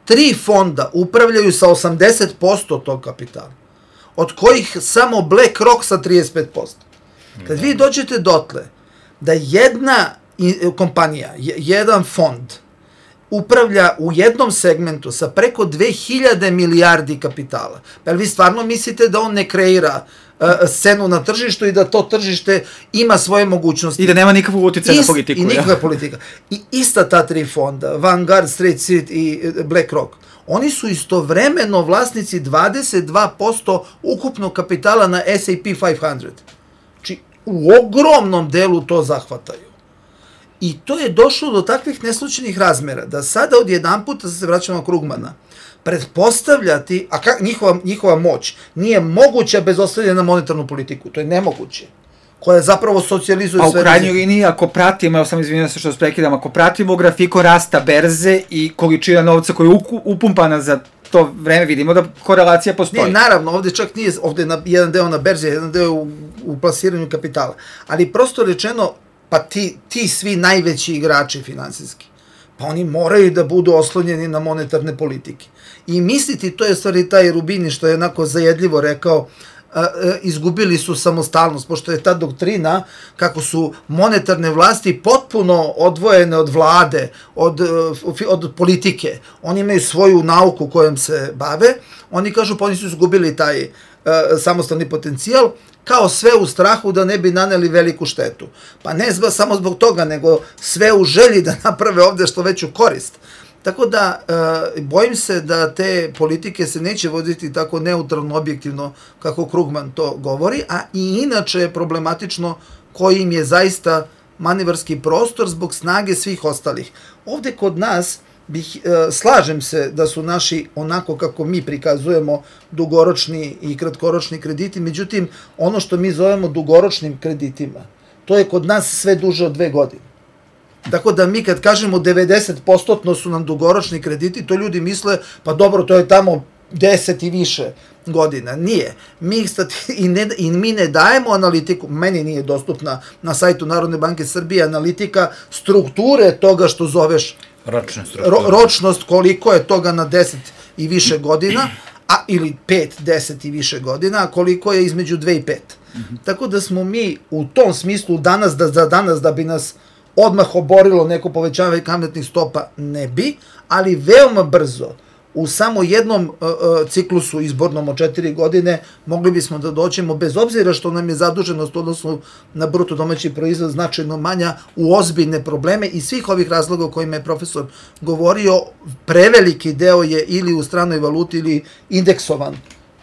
Tri fonda upravljaju sa osamdeset posto tog kapitala, od kojih samo BlackRock sa trideset pet posto. Kad vi dođete dotle da jedna kompanija, jedan fond, upravlja u jednom segmentu sa preko dve hiljade milijardi kapitala. Pa vi stvarno mislite da on ne kreira uh, scenu na tržištu i da to tržište ima svoje mogućnosti? I da nema nikakvog utjecaja na politiku. I nikakva politika. I ista ta tri fonda, Vanguard, State Street i BlackRock, oni su istovremeno vlasnici dvadeset dva posto ukupnog kapitala na S and P petsto. Znači, u ogromnom delu to zahvataju. I to je došlo do takvih neslučajnih razmera, da sada odjedan puta se vraćamo na Krugmana, pretpostavljati, a kak, njihova, njihova moć nije moguća bez ostavljanja na monetarnu politiku, to je nemoguće, koja zapravo socijalizuje sve. Pa u krajnjoj liniji, ako pratimo, evo sam izvinjam se što sprekidam, ako pratimo grafiko rasta berze i količina novca koja je upumpana za to vreme, vidimo da korelacija postoji. Ne, naravno, ovde čak nije, ovde je na, jedan deo na berzi, jedan deo u, u plasiranju kapitala, ali prosto rečeno, pa ti, ti svi najveći igrači finansijski, pa oni moraju da budu oslonjeni na monetarne politike. I misliti, to je stvari taj Rubini što je onako zajedljivo rekao, a, a, izgubili su samostalnost, pošto je ta doktrina kako su monetarne vlasti potpuno odvojene od vlade, od, od politike. Oni imaju svoju nauku kojom se bave, oni kažu pa oni su izgubili taj a, samostalni potencijal, kao sve u strahu da ne bi naneli veliku štetu. Pa ne zba, samo zbog toga, nego sve u želji da naprave ovde što veću korist. Tako da, e, bojim se da te politike se neće voditi tako neutralno, objektivno, kako Krugman to govori, a i inače je problematično koji im je zaista manevarski prostor zbog snage svih ostalih. Ovde kod nas, bih, e, slažem se da su naši, onako kako mi prikazujemo, dugoročni i kratkoročni krediti, međutim, ono što mi zovemo dugoročnim kreditima, to je kod nas sve duže od dve godine. Tako da mi kad kažemo devedeset posto su nam dugoročni krediti, to ljudi misle, pa dobro, to je tamo deset i više godina. Nije. Mi, i ne, i mi ne dajemo analitiku, meni nije dostupna na sajtu Narodne banke Srbije analitika strukture toga što zoveš ročne strukture. Ro, ročnost, koliko je toga na deset i više godina, a ili pet, deset i više godina, a koliko je između dve i pet. Mm-hmm. Tako da smo mi u tom smislu danas, da za danas da bi nas odmah oborilo neko povećavanje kamatnih stopa, ne bi, ali veoma brzo, u samo jednom uh, uh, ciklusu izbornom od četiri godine, mogli bismo da doćemo, bez obzira što nam je zaduženost odnosno na bruto domaći proizvod značajno manja, u ozbiljne probleme i svih ovih razloga o kojima je profesor govorio, preveliki deo je ili u stranoj valuti ili indeksovan,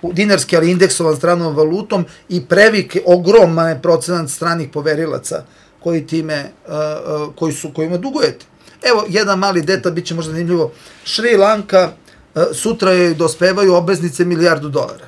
dinarski, ali indeksovan stranom valutom i previk, ogroman procenat stranih poverilaca koji time, uh, uh, koji su, kojima dugujete. Evo, jedan mali detalj, bit će možda zanimljivo. Šri Lanka, uh, sutra joj dospevaju obveznice milijardu dolara.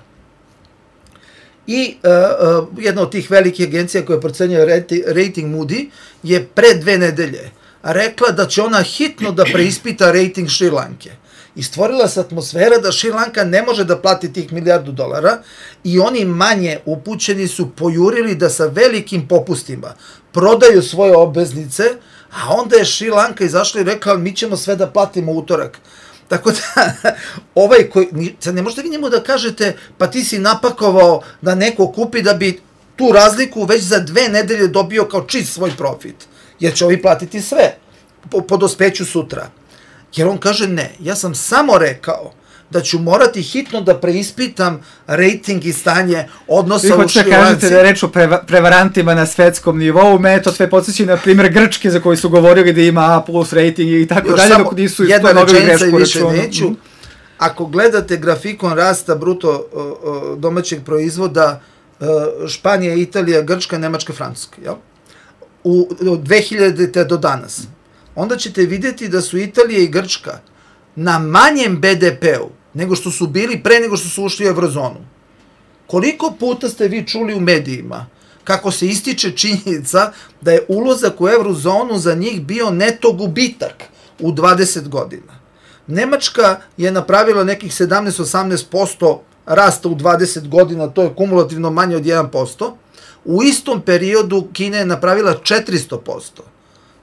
I uh, uh, jedna od tih velikih agencija koja procenjuje rating Moody je pre dve nedelje rekla da će ona hitno da preispita rating Šri Lanke. I stvorila se atmosfera da Šri Lanka ne može da plati tih milijardu dolara i oni manje upućeni su pojurili da sa velikim popustima prodaju svoje obveznice, a onda je Šri Lanka izašla i rekla mi ćemo sve da platimo utorak. Tako da, ovaj koji, sad ne možete vi njemu da kažete pa ti si napakovao da neko kupi da bi tu razliku već za dve nedelje dobio kao čist svoj profit, jer će ovi platiti sve po, po dospeću sutra. Jer on kaže ne, ja sam samo rekao da ću morati hitno da preispitam rating i stanje odnosa u Šri Lanci. Vi hoćete kažete da je reč o preva, prevarantima na svetskom nivou, me to sve podsjeći na primjer Grčke za koji su govorili da ima A plus rating i tako dalje, dok nisu istonovili grešku računu. Neću. Ako gledate grafikon rasta bruto uh, domaćeg proizvoda uh, Španija, Italija, Grčka, Nemačka, Francuska, jel? U, od dve hiljadite do danas, onda ćete vidjeti da su Italija i Grčka na manjem be de pe-u nego što su bili pre nego što su ušli u Eurozonu. Koliko puta ste vi čuli u medijima kako se ističe činjenica da je ulazak u Eurozonu za njih bio neto gubitak u dvadeset godina. Nemačka je napravila nekih sedamnaest do osamnaest posto rasta u dvadeset godina, to je kumulativno manje od jedan posto. U istom periodu Kina je napravila četiristo posto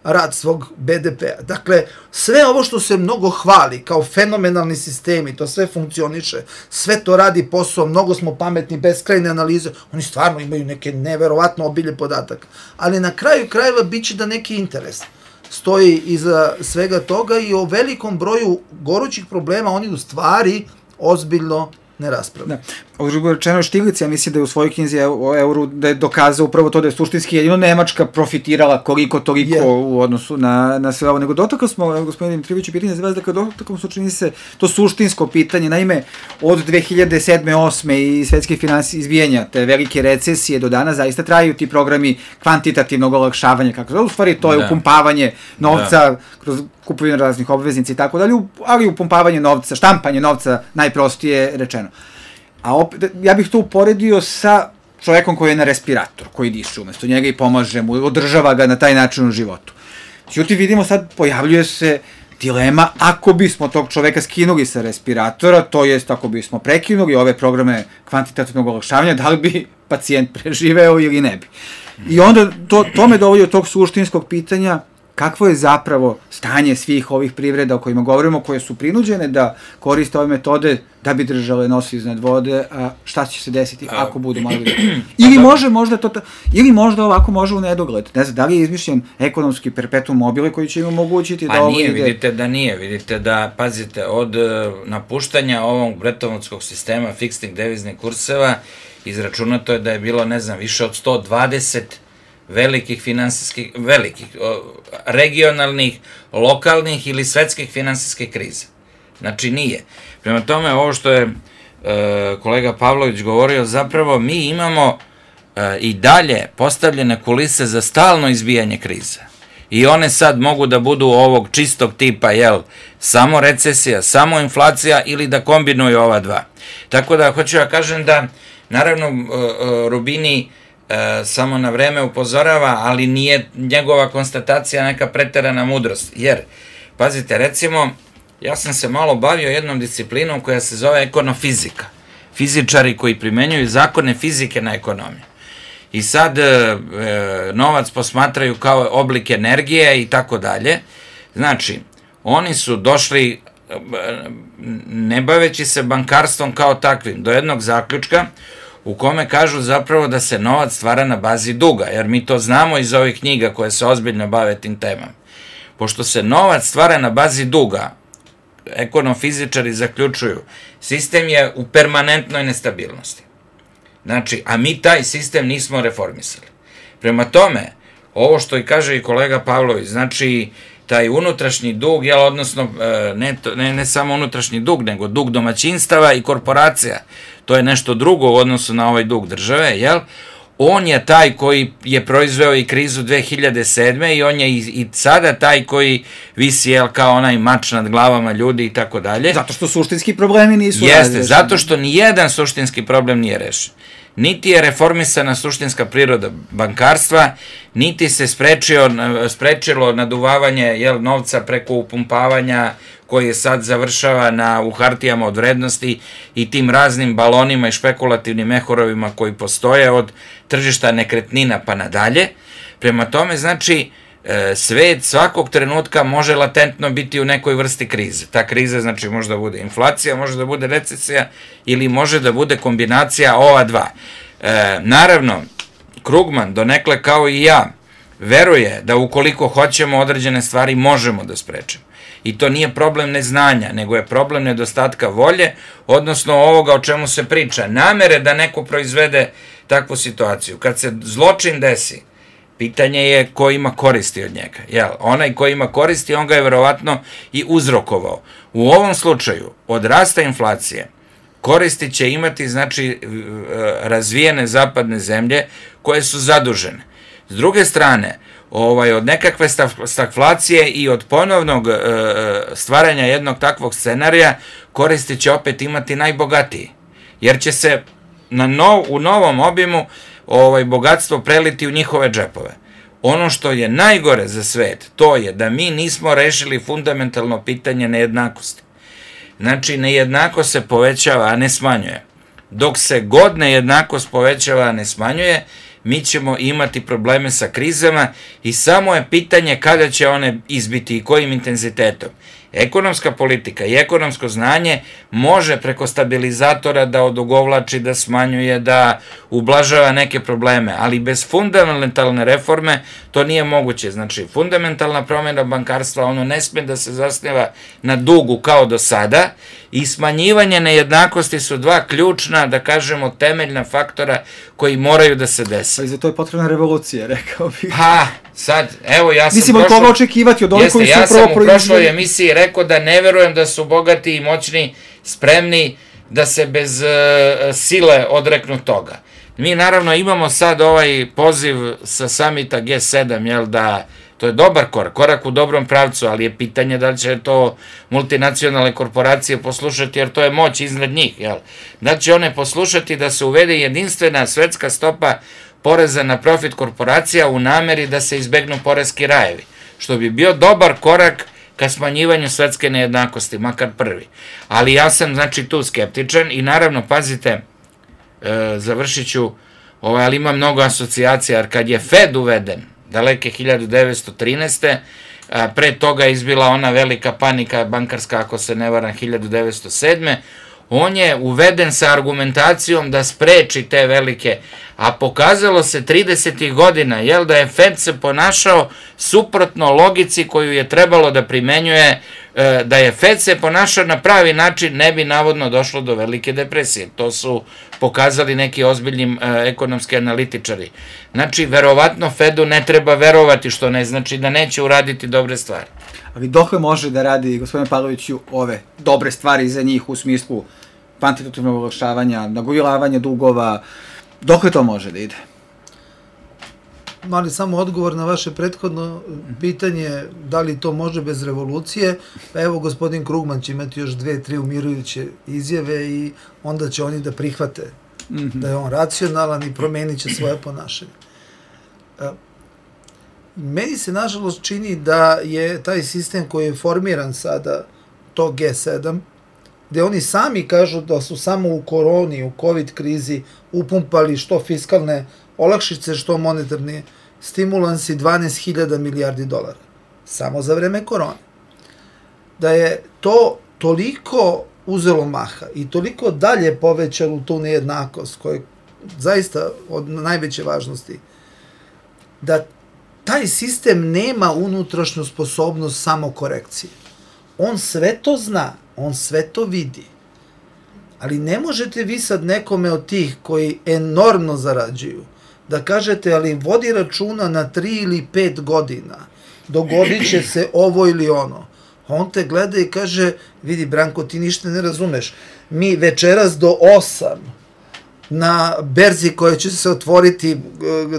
rad svog be de pe-a. Dakle, sve ovo što se mnogo hvali kao fenomenalni sistemi, to sve funkcioniše, sve to radi posao, mnogo smo pametni, beskrajne analize, oni stvarno imaju neke neverovatno obilje podataka. Ali na kraju krajeva bit će da neki interes stoji iza svega toga i o velikom broju gorućih problema oni u stvari ozbiljno ne raspravlja. Da. Uzgled rečeno, Štiglic, ja mislim da je u svojoj knjizi o euru da je dokazao upravo to da je suštinski jedino Nemačka profitirala koliko toliko yeah. u odnosu na, na sve ovo. Nego dotakao smo, gospodine Dimitrijeviću, pitanje za vas, dakle dotakao smo, čini se, to suštinsko pitanje. Naime, od dve hiljade sedme osme i svetske finansije izbijanja te velike recesije do dana zaista traju ti programi kvantitativnog olakšavanja, kako zove, u stvari to je da. upumpavanje novca da. kroz kupovinu raznih obveznica i tako dalje, ali upumpavanje novca, štampanje novca, najprostije rečeno. A opet, ja bih to uporedio sa čovekom koji je na respirator, koji diše umesto njega i pomaže mu, održava ga na taj način u životu. Ćuti, vidimo sad, pojavljuje se dilema, ako bismo tog čoveka skinuli sa respiratora, to jest ako bismo prekinuli ove programe kvantitativnog olakšavanja, da li bi pacijent preživeo ili ne bi. I onda to, to me dovodi od tog suštinskog pitanja, kakvo je zapravo stanje svih ovih privreda o kojima govorimo, koje su prinuđene da koriste ove metode da bi držale nos iznad vode, a šta će se desiti ako budu mali da... Ili može možda to, ili možda ovako može u nedogled. Ne znam, da li je izmišljen ekonomski perpetuum mobile koji će im omogućiti da pa ovo nije, ide... vidite da nije, vidite da, pazite, od napuštanja ovog Brettonwoodskog sistema fiksnih deviznih kurseva izračunato je da je bilo, ne znam, više od sto dvadeset velikih finansijskih, velikih, regionalnih, lokalnih ili svetskih finansijskih kriza. Znači nije. Prema tome, ovo što je e, kolega Pavlović govorio, zapravo mi imamo e, i dalje postavljene kulise za stalno izbijanje kriza. I one sad mogu da budu ovog čistog tipa, jel, samo recesija, samo inflacija ili da kombinuju ova dva. Tako da, hoću ja kažem da, naravno, e, e, Rubini E, samo na vreme upozorava, ali nije njegova konstatacija neka preterana mudrost, jer, pazite, recimo, ja sam se malo bavio jednom disciplinom koja se zove ekonomfizika, fizičari koji primenjuju zakone fizike na ekonomiju, i sad e, novac posmatraju kao oblik energije i tako dalje. Znači, oni su došli, ne baveći se bankarstvom kao takvim, do jednog zaključka u kome kažu zapravo da se novac stvara na bazi duga, jer mi to znamo iz ovih knjiga koje se ozbiljno bave tim temama. Pošto se novac stvara na bazi duga, ekonomfizičari zaključuju, sistem je u permanentnoj nestabilnosti. Znači, a mi taj sistem nismo reformisali. Prema tome, ovo što i kaže i kolega Pavlović, znači, taj unutrašnji dug, jel, odnosno, ne, ne, ne samo unutrašnji dug, nego dug domaćinstava i korporacija, to je nešto drugo u odnosu na ovaj dug države, jel? On je taj koji je proizveo i krizu dve hiljade sedme i on je i, i sada taj koji visi, jel, kao onaj mač nad glavama ljudi i tako dalje. Zato što suštinski problemi nisu razrešeni. Jeste, zato što nijedan suštinski problem nije rešen. Niti je reformisana suštinska priroda bankarstva, niti se sprečio, sprečilo naduvavanje, jel, novca preko upumpavanja koji je sad završava na, u hartijama od vrednosti i tim raznim balonima i špekulativnim mehorovima koji postoje od tržišta nekretnina pa nadalje. Prema tome, znači, svet svakog trenutka može latentno biti u nekoj vrsti krize. Ta kriza, znači, može da bude inflacija, može da bude recesija ili može da bude kombinacija ova dva. E, naravno, Krugman, donekle kao i ja, veruje da ukoliko hoćemo određene stvari možemo da sprečimo. I to nije problem neznanja, nego je problem nedostatka volje, odnosno ovoga o čemu se priča, namere da neko proizvede takvu situaciju. Kad se zločin desi, pitanje je ko ima koristi od njega. Jel, onaj ko ima koristi, on ga je verovatno i uzrokovao. U ovom slučaju, od rasta inflacije, koristi će imati, znači, razvijene zapadne zemlje koje su zadužene. S druge strane, ovaj, od nekakve stagflacije i od ponovnog e, stvaranja jednog takvog scenarija koristi će opet imati najbogatiji. Jer će se na nov, u novom obimu ovaj, bogatstvo preliti u njihove džepove. Ono što je najgore za svet, to je da mi nismo rešili fundamentalno pitanje nejednakosti. Znači, nejednakost se povećava, a ne smanjuje. Dok se god nejednakost povećava, a ne smanjuje, mi ćemo imati probleme sa krizama i samo je pitanje kada će one izbiti i kojim intenzitetom. Ekonomska politika i ekonomsko znanje može preko stabilizatora da odugovlači, da smanjuje, da ublažava neke probleme, ali bez fundamentalne reforme to nije moguće. Znači, fundamentalna promjena bankarstva, ono ne sme da se zasniva na dugu kao do sada, i smanjivanje nejednakosti su dva ključna, da kažemo, temeljna faktora koji moraju da se desi. Ali za to je potrebna revolucija, rekao bih. Pa, sad, evo, ja sam Mislim, od koga očekivati, od onih koji su ja upravo sam u prošloj emisiji rekao da ne verujem da su bogati i moćni spremni da se bez uh, sile odreknu toga. Mi naravno imamo sad ovaj poziv sa samita G sedam, jel da, to je dobar korak, korak u dobrom pravcu, ali je pitanje da li će to multinacionalne korporacije poslušati, jer to je moć iznad njih, jel? Da će one poslušati da se uvede jedinstvena svetska stopa poreza na profit korporacija u nameri da se izbegnu poreski rajevi, što bi bio dobar korak ka smanjivanju svetske nejednakosti, makar prvi. Ali ja sam, znači, tu skeptičan i naravno, pazite, e, završit ću, ovaj, ali ima mnogo asocijacija, jer kad je Fed uveden, daleke hiljadu devetsto trinaeste. A, pre toga je izbila ona velika panika bankarska, ako se ne varam, hiljadu devetsto sedme. On je uveden sa argumentacijom da spreči te velike, a pokazalo se tridesetih godina, jel, da je Fed se ponašao suprotno logici koju je trebalo da primenjuje, da je Fed se ponašao na pravi način, ne bi navodno došlo do velike depresije. To su pokazali neki ozbiljni ekonomski analitičari. Znači, verovatno Fedu ne treba verovati, što ne znači da neće uraditi dobre stvari. Ali dokle može da radi, gospodine Pavloviću, ove dobre stvari za njih u smislu kvantitativnog olakšavanja, nagomilavanja dugova, dokle to može da ide? Mali samo odgovor na vaše prethodno pitanje, da li to može bez revolucije. Pa evo, gospodin Krugman će imati još dve, tri umirujuće izjave i onda će oni da prihvate mm-hmm. da je on racionalan i promenit će svoje ponašanje. Meni se, nažalost, čini da je taj sistem koji je formiran sada, to G sedam, gde oni sami kažu da su samo u koroni, u COVID krizi upumpali što fiskalne olakšice, što monetarni stimulansi dvanaest hiljada milijardi dolara. Samo za vreme korone. Da je to toliko uzelo maha i toliko dalje povećalo tu nejednakost, koja je zaista od najveće važnosti, da taj sistem nema unutrašnju sposobnost samokorekcije. On sve to zna, on sve to vidi. Ali ne možete vi sad nekome od tih koji enormno zarađuju da kažete, ali vodi računa na tri ili pet godina, dogodit će se ovo ili ono. On te gleda i kaže, vidi Branko, ti ništa ne razumeš. Mi večeras do osam na berzi koja će se otvoriti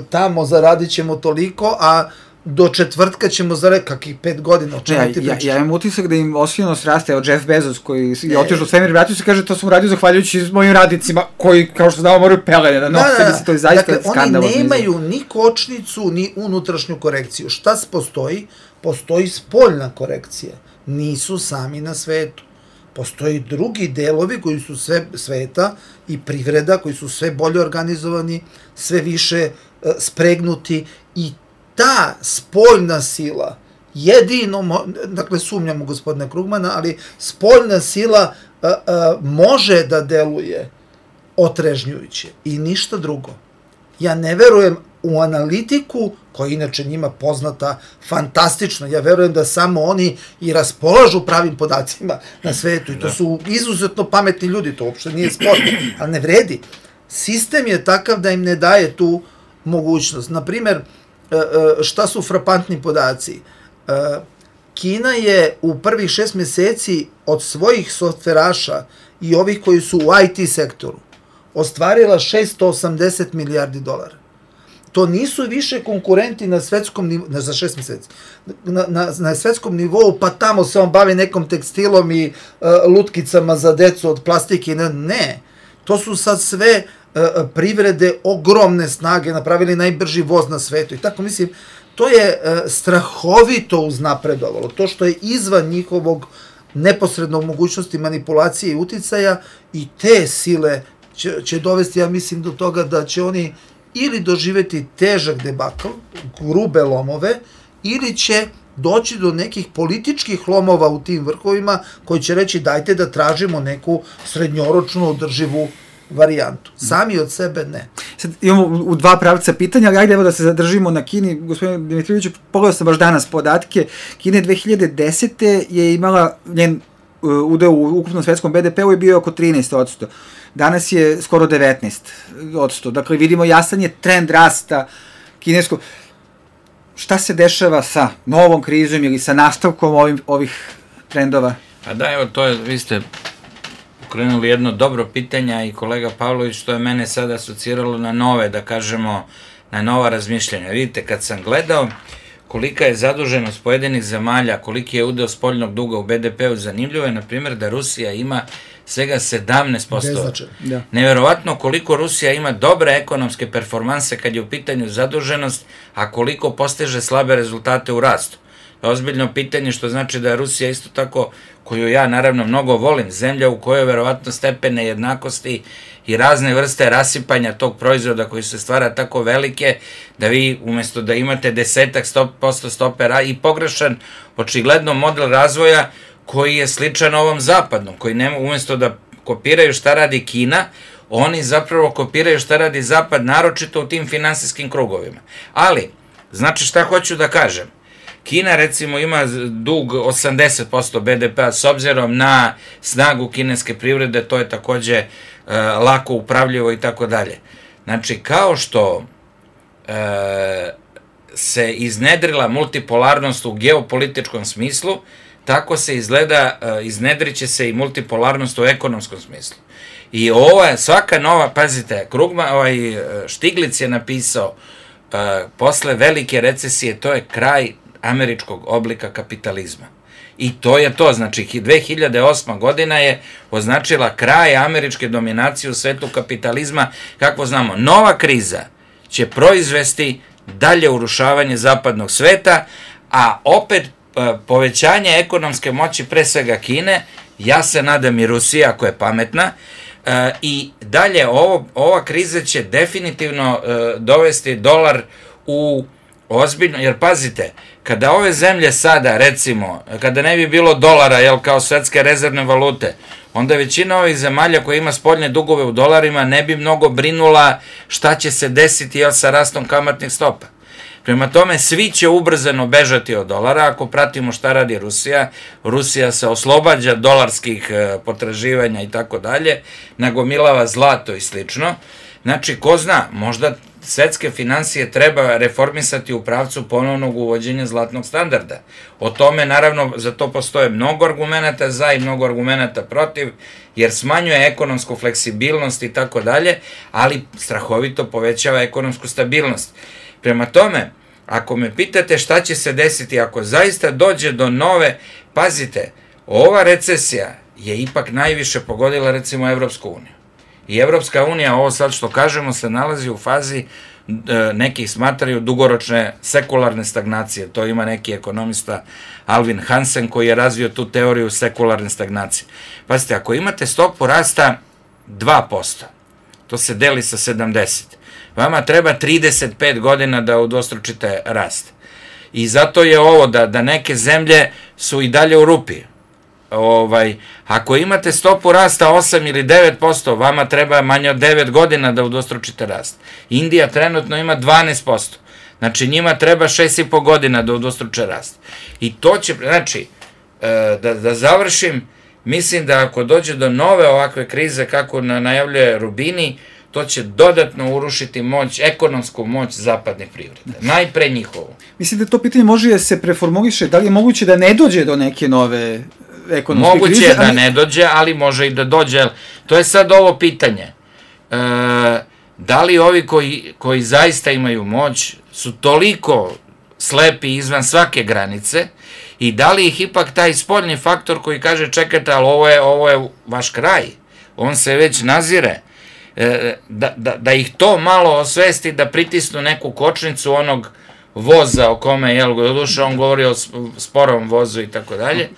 tamo zaradit ćemo toliko, a do četvrtka ćemo zaraditi kakih pet godina. O čemu ti pričaš? Ja, ja imam utisak da im osvijenost raste. Evo Jeff Bezos koji je otišao u svemir, vratio se, kaže to sam uradio zahvaljujući mojim radnicima koji, kao što znamo, moraju pelene da nose. Da, da, to je zaista dakle, skandalozno. Oni nemaju ni kočnicu, ni unutrašnju korekciju. Šta postoji? Postoji spoljna korekcija. Nisu sami na svetu. Postoji drugi delovi koji su sve sveta i privreda, koji su sve bolje organizovani, sve više uh, spregnuti i ta spoljna sila, jedino, dakle sumnjamo gospodine Krugmana, ali spoljna sila uh, uh, može da deluje otrežnjujuće i ništa drugo. Ja ne verujem u analitiku, koja je inače njima poznata fantastično, ja verujem da samo oni i raspolažu pravim podacima na svetu i to su izuzetno pametni ljudi, to uopšte nije sporno, ali ne vredi. Sistem je takav da im ne daje tu mogućnost. Naprimer, šta su frapantni podaci? Kina je u prvih šest meseci od svojih softveraša i ovih koji su u I T sektoru ostvarila šesto osamdeset milijardi dolara. To nisu više konkurenti na svetskom nivou, ne za šest meseci, na, na, na svetskom nivou, pa tamo se on bavi nekom tekstilom i uh, lutkicama za decu od plastike. Ne, ne. To su sad sve uh, privrede ogromne snage, napravili najbrži voz na svetu. I tako mislim, to je uh, strahovito uznapredovalo. To što je izvan njihovog neposrednog mogućnosti manipulacije i uticaja i te sile će, će dovesti, ja mislim, do toga da će oni ili doživeti težak debakl, grube lomove, ili će doći do nekih političkih lomova u tim vrhovima koji će reći dajte da tražimo neku srednjoročnu održivu varijantu. Sami od sebe ne. Sad imamo u dva pravca pitanja, ali ajde evo da se zadržimo na Kini. Gospodine Dimitrijeviću, pogledao sam baš danas podatke. Kina dve hiljade desete je imala, njen uh, udeo u ukupnom svetskom be de pe u je bio oko trinaest posto. Danas je skoro devetnaest posto. Dakle, vidimo jasan je trend rasta kineskog. Šta se dešava sa novom krizom ili sa nastavkom ovim, ovih trendova? Pa da, evo, to je, vi ste ukrenuli jedno dobro pitanje i kolega Pavlović, što je mene sada asociralo na nove, da kažemo, na nova razmišljanja. Vidite, kad sam gledao kolika je zaduženost pojedinih zemalja, koliki je udeo spoljnog duga u be de pe u, zanimljivo je, na primjer, da Rusija ima svega sedamnaest posto. Da. Neverovatno koliko Rusija ima dobre ekonomske performanse kad je u pitanju zaduženost, a koliko postiže slabe rezultate u rastu. Ozbiljno pitanje, što znači da je Rusija isto tako, koju ja naravno mnogo volim, zemlja u kojoj je verovatno stepen nejednakosti i razne vrste rasipanja tog proizvoda koji se stvara tako velike, da vi umesto da imate desetak posto stope i pogrešan očigledno model razvoja koji je sličan ovom zapadnom, koji nema, umesto da kopiraju šta radi Kina, oni zapravo kopiraju šta radi zapad, naročito u tim finansijskim krugovima. Ali, znači šta hoću da kažem, Kina recimo ima dug osamdeset posto be de pe-a, s obzirom na snagu kineske privrede, to je takođe e, lako upravljivo i tako dalje. Znači, kao što e, se iznedrila multipolarnost u geopolitičkom smislu, tako se izgleda, e, iznedriće se i multipolarnost u ekonomskom smislu. I ova, svaka nova, pazite, Krugman, ovaj, Štiglic je napisao, e, posle velike recesije, to je kraj američkog oblika kapitalizma. I to je to, znači dve hiljade osma godina je označila kraj američke dominacije u svetu kapitalizma, kako znamo. Nova kriza će proizvesti dalje urušavanje zapadnog sveta, a opet povećanje ekonomske moći pre svega Kine, ja se nadam i Rusija ako je pametna, i dalje ovo, ova kriza će definitivno dovesti dolar u ozbiljno, jer pazite, kada ove zemlje sada, recimo, kada ne bi bilo dolara, jel, kao svetske rezervne valute, onda većina ovih zemalja koja ima spoljne dugove u dolarima ne bi mnogo brinula šta će se desiti, jel, sa rastom kamatnih stopa. Prema tome, svi će ubrzano bežati od dolara, ako pratimo šta radi Rusija. Rusija se oslobađa dolarskih potraživanja i tako dalje, nagomilava zlato i slično. Znači, ko zna, možda svetske finansije treba reformisati u pravcu ponovnog uvođenja zlatnog standarda. O tome, naravno, za to postoje mnogo argumenata za i mnogo argumenata protiv, jer smanjuje ekonomsku fleksibilnost i tako dalje, ali strahovito povećava ekonomsku stabilnost. Prema tome, ako me pitate šta će se desiti ako zaista dođe do nove, pazite, ova recesija je ipak najviše pogodila recimo Evropsku uniju. I Evropska unija, ovo sad što kažemo, se nalazi u fazi, neki smatraju, dugoročne sekularne stagnacije. To ima neki ekonomista Alvin Hansen koji je razvio tu teoriju sekularne stagnacije. Pazite, ako imate stopu rasta dva posto, to se deli sa sedamdeset. Vama treba trideset pet godina da udvostručite rast. I zato je ovo da, da neke zemlje su i dalje u rupi. Ovaj, ako imate stopu rasta osam ili devet posto, vama treba manje od devet godina da udvostručite rast. Indija trenutno ima dvanaest posto. Znači njima treba šest i po godina da udvostruče rast. I to će, znači, da, da završim, mislim da ako dođe do nove ovakve krize kako najavljuje Rubini, to će dodatno urušiti moć, ekonomsku moć zapadne privrede. Najpre njihovu. Mislim da to pitanje može da se preformuliše, da li je moguće da ne dođe do neke nove ekonomske moguće krize? Moguće je da ne dođe, ali može i da dođe. To je sad ovo pitanje. E, da li ovi koji, koji zaista imaju moć su toliko slepi izvan svake granice i da li ih ipak taj spoljni faktor koji kaže čekajte, ali ovo je, ovo je vaš kraj, on se već nazire, Da, da, da ih to malo osvesti, da pritisnu neku kočnicu onog voza o kome, jel, duša, on govori o sporom vozu i tako dalje,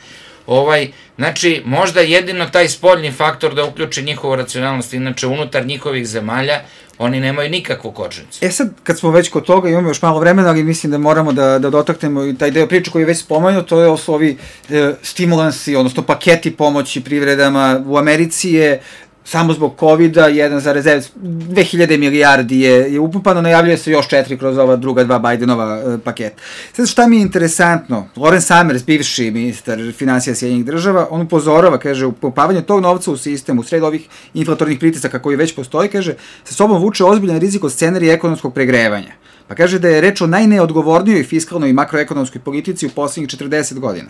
Ovaj, znači, možda jedino taj spoljni faktor da uključi njihovu racionalnost, inače unutar njihovih zemalja, oni nemaju nikakvu kočnicu. E sad, kad smo već kod toga, imamo još malo vremena, ali mislim da moramo da, da dotaknemo i taj deo priče koji je već spomenuo, to je su ovi e, stimulansi, odnosno paketi pomoći privredama. U Americi je samo zbog kovida jedan zarez dve hiljade milijardi je, je upumpano, najavljuje se još četiri kroz ova druga dva Bidenova e, paketa. Sad šta mi je interesantno, Lawrence Summers, bivši ministar finansija Sjedinjenih država, on upozorava, kaže, upumpavanje tog novca u sistemu, u sred ovih inflatornih pritisaka koji već postoji, kaže, sa sobom vuče ozbiljan rizik od scenarija ekonomskog pregrevanja. Pa kaže da je reč o najneodgovornijoj fiskalnoj i makroekonomskoj politici u poslednjih četrdeset godina.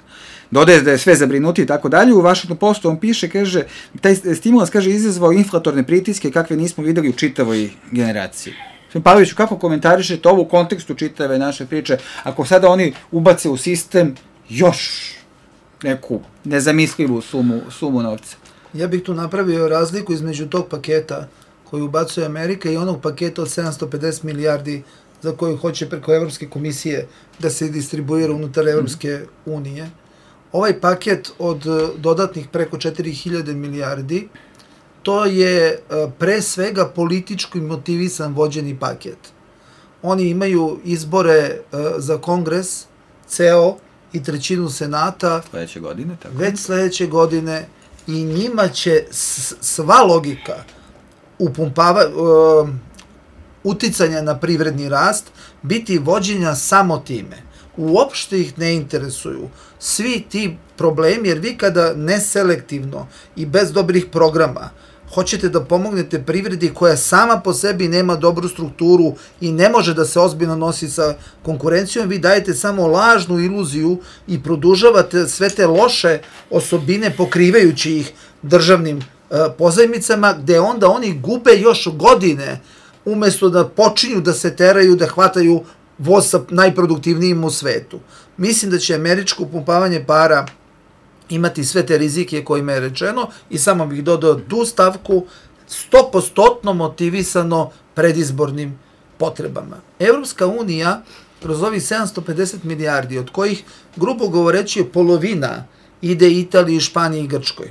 Dodaje da je sve zabrinuti i tako dalje. U Washington Postu on piše, kaže, taj stimulans, kaže, izazvao inflatorne pritiske kakve nismo videli u čitavoj generaciji. Sve Pavloviću, kako komentarišete ovo u kontekstu čitave naše priče, ako sada oni ubace u sistem još neku nezamislivu sumu, sumu novca? Ja bih tu napravio razliku između tog paketa koji ubacuje Amerika i onog paketa od sedamsto pedeset milijardi za koju hoće preko Evropske komisije da se distribuira unutar Evropske unije. Ovaj paket od dodatnih preko četiri hiljade milijardi, to je pre svega politički motivisan vođeni paket. Oni imaju izbore za kongres, ceo i trećinu senata sledeće godine, tako. Već sledeće godine i njima će sva logika upumpava, uh, uticanja na privredni rast biti vođenja samo time. Uopšte ih ne interesuju svi ti problemi, jer vi kada neselektivno i bez dobrih programa hoćete da pomognete privredi koja sama po sebi nema dobru strukturu i ne može da se ozbiljno nosi sa konkurencijom, vi dajete samo lažnu iluziju i produžavate sve te loše osobine pokrivajući ih državnim uh, pozajmicama, gde onda oni gube još godine umesto da počinju da se teraju, da hvataju voz sa najproduktivnijim u svetu. Mislim da će američko upumpavanje para imati sve te rizike kojima je rečeno i samo bih dodao tu stavku sto posto motivisano predizbornim potrebama. Evropska unija kroz ovih sedamsto pedeset milijardi, od kojih, grubo govoreći, polovina ide Italiji, Španiji i Grčkoj.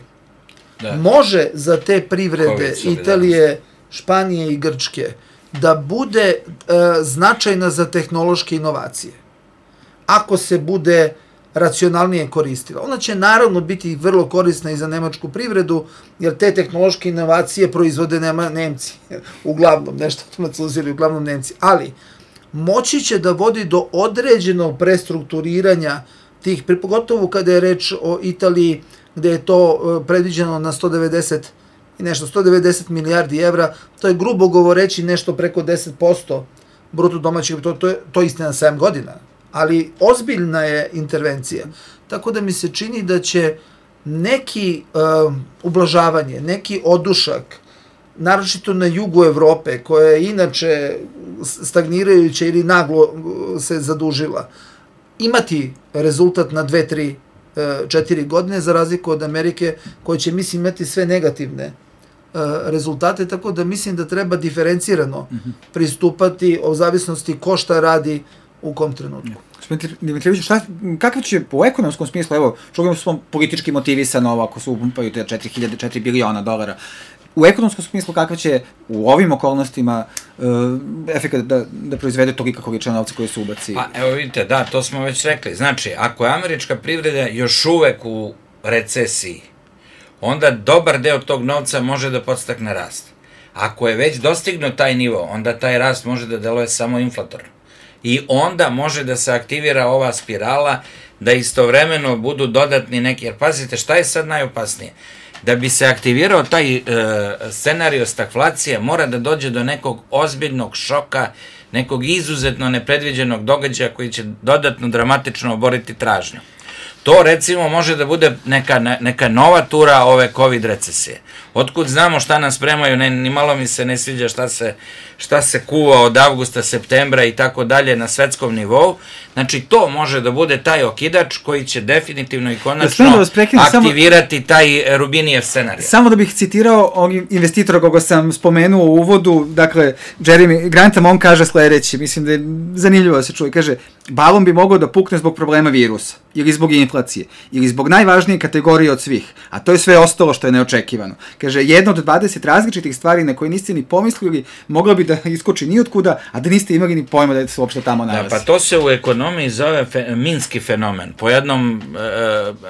Da. Može za te privrede Italije, Španije i Grčke da bude e, značajna za tehnološke inovacije. Ako se bude racionalnije koristila. Ona će naravno biti vrlo korisna i za nemačku privredu, jer te tehnološke inovacije proizvode nema Nemci. Uglavnom, nešto Francuzili, uglavnom Nemci. Ali, moći će da vodi do određenog prestrukturiranja tih, pogotovo kada je reč o Italiji, gde je to predviđeno na sto devedeset i nešto, sto devedeset milijardi evra, to je grubo govoreći nešto preko deset posto bruto domaćeg, to, to, je, to je istina sedam godina, ali ozbiljna je intervencija. Tako da mi se čini da će neki uh, ublažavanje, neki odušak, naročito na jugu Evrope, koja je inače stagnirajuća ili naglo se zadužila, imati rezultat na dve, tri, četiri godine, za razliku od Amerike, koja će, mislim, imati sve negativne rezultate, tako da mislim da treba diferencirano pristupati o zavisnosti ko šta radi u kom trenutku. Dimitrijević, šta, kakav će po ekonomskom smislu, evo, čuvamo smo politički motivisano ovo ako se upumpaju te četiri hiljade, četiri biliona dolara, u ekonomskom smislu kakav će u ovim okolnostima uh, efekat da, da proizvede tolika količina novca koji se ubaci? Pa evo vidite, da, to smo već rekli. Znači, ako je američka privreda još uvek u recesiji, onda dobar deo tog novca može da podstakne rast. Ako je već dostignuo taj nivo, onda taj rast može da deluje samo inflatorno. I onda može da se aktivira ova spirala, da istovremeno budu dodatni neki, jer pazite, šta je sad najopasnije? Da bi se aktivirao taj e, scenario stagflacije, mora da dođe do nekog ozbiljnog šoka, nekog izuzetno nepredviđenog događaja koji će dodatno dramatično oboriti tražnju. To, recimo, može da bude neka, neka nova tura ove COVID recesije. Otkud znamo šta nas spremaju, ne, ni malo mi se ne sviđa šta se, šta se kuva od avgusta, septembra i tako dalje na svetskom nivou. Znači, to može da bude taj okidač koji će definitivno i konačno da prekinem, aktivirati samo, taj Rubinijev scenarij. Samo da bih citirao ovog investitora koga sam spomenuo u uvodu, dakle, Jeremy Grantham, on kaže sledeće, mislim da je zanimljivo da se čuje, kaže, balon bi mogao da pukne zbog problema virusa, ili zbog inflacije, ili zbog najvažnije kategorije od svih, a to je sve ostalo što je neočekivano. Kaže, jedna od dvadeset različitih stvari na koje niste ni pomislili, mogla bi da iskoči ni otkuda, a da niste imali ni pojma da se uopšte tamo nalazi. Da, pa to se u ekonomiji zove fe, minski fenomen. Po jednom e,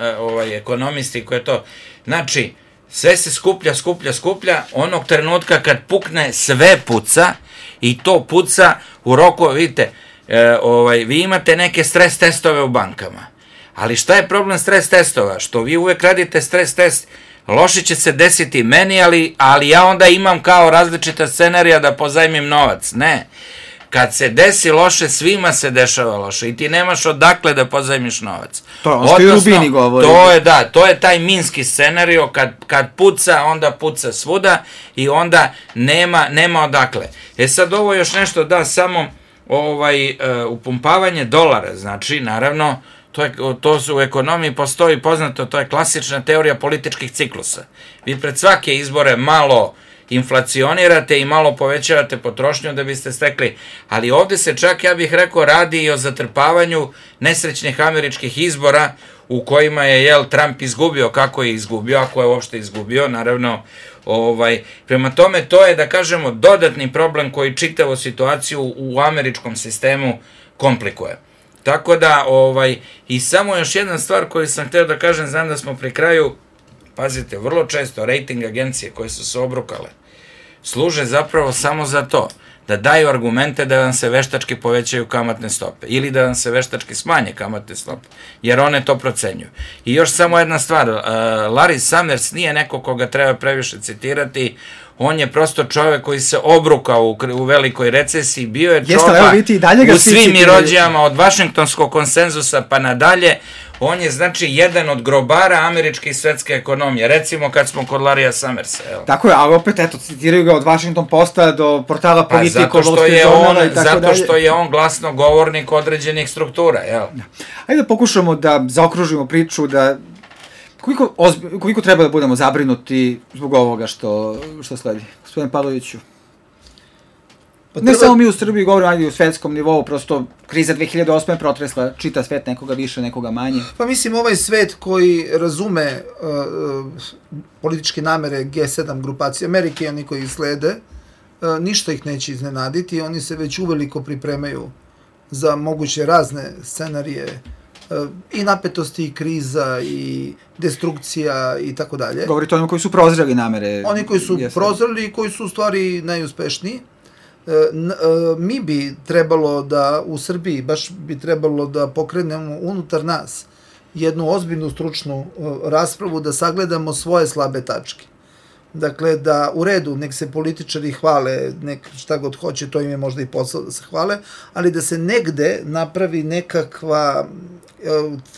e, ovaj, ekonomisti koji je to... Znači, sve se skuplja, skuplja, skuplja, onog trenutka kad pukne, sve puca i to puca u roku, vidite, e, ovaj, vi imate neke stres testove u bankama, ali šta je problem stres testova? Što vi uvek radite stres test, loše će se desiti meni, ali, ali ja onda imam kao različita scenarija da pozajmim novac. Ne. Kad se desi loše, svima se dešava loše i ti nemaš odakle da pozajmiš novac. To je ono što i Rubini govori. To je, da, to je taj minski scenario, kad, kad puca, onda puca svuda i onda nema, nema odakle. E sad ovo još nešto da, samo ovaj, uh, upumpavanje dolara, znači, naravno, to, je, to su u ekonomiji postoji poznato, to je klasična teorija političkih ciklusa. Vi pred svake izbore malo inflacionirate i malo povećavate potrošnju da biste stekli, ali ovde se čak, ja bih rekao, radi i o zatrpavanju nesrećnih američkih izbora u kojima je, jel, Trump izgubio, kako je izgubio, ako je uopšte izgubio, naravno, ovaj, prema tome, to je, da kažemo, dodatni problem koji čitavu situaciju u američkom sistemu komplikuje. Tako da, ovaj, i samo još jedna stvar koju sam hteo da kažem, znam da smo pri kraju, pazite, vrlo često rating agencije koje su se obrukale služe zapravo samo za to, da daju argumente da vam se veštački povećaju kamatne stope ili da vam se veštački smanje kamatne stope, jer one to procenjuju. I još samo jedna stvar, uh, Larry Summers nije neko koga treba previše citirati, on je prosto čovek koji se obrukao u, u velikoj recesiji, bio je čoba u svim irođijama od Vašingtonskog konsenzusa pa nadalje, on je, znači, jedan od grobara američke i svetske ekonomije, recimo kad smo kod Larrya Summersa. Evo. Tako je, ali opet, eto, citiraju ga od Washington Posta do portala Politico, pa zato što je on, zato dalje. Što je on glasnogovornik određenih struktura, jel? Da. Ajde da pokušamo da zaokružimo priču, da koliko, ozbi, koliko treba da budemo zabrinuti zbog ovoga što, što sledi. Gospodine Pavloviću. Pa treba... Ne samo mi u Srbiji govorimo, ajde u svetskom nivou, prosto kriza dve hiljade osme je protresla čita svet, nekoga više, nekoga manje. Pa mislim, ovaj svet koji razume uh, političke namere G sedam grupacije Amerike i oni koji ih slede, uh, ništa ih neće iznenaditi, oni se već uveliko pripremaju za moguće razne scenarije uh, i napetosti, i kriza, i destrukcija, i tako dalje. Govorite o onima koji su prozreli namere. Oni koji su prozreli i koji su u stvari najuspešniji. Mi bi trebalo da u Srbiji, baš bi trebalo da pokrenemo unutar nas jednu ozbiljnu stručnu raspravu, da sagledamo svoje slabe tačke. Dakle, da u redu, nek se političari hvale, nek šta god hoće, to im je možda i posao da se hvale, ali da se negde napravi nekakva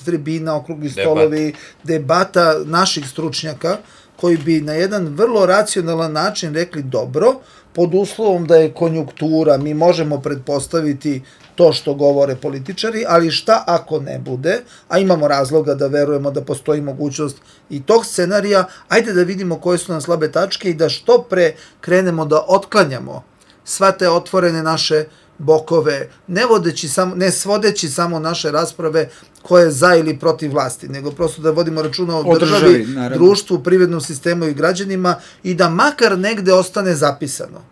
tribina, okrugli stolovi, debata naših stručnjaka, koji bi na jedan vrlo racionalan način rekli dobro, pod uslovom da je konjunktura, mi možemo pretpostaviti to što govore političari, ali šta ako ne bude, a imamo razloga da verujemo da postoji mogućnost i tog scenarija, ajde da vidimo koje su nam slabe tačke i da što pre krenemo da otklanjamo sva te otvorene naše bokove, ne, vodeći samo, ne svodeći samo naše rasprave koje je za ili protiv vlasti, nego prosto da vodimo računa o, o državi, državi društvu, privrednom sistemu i građanima i da makar negde ostane zapisano.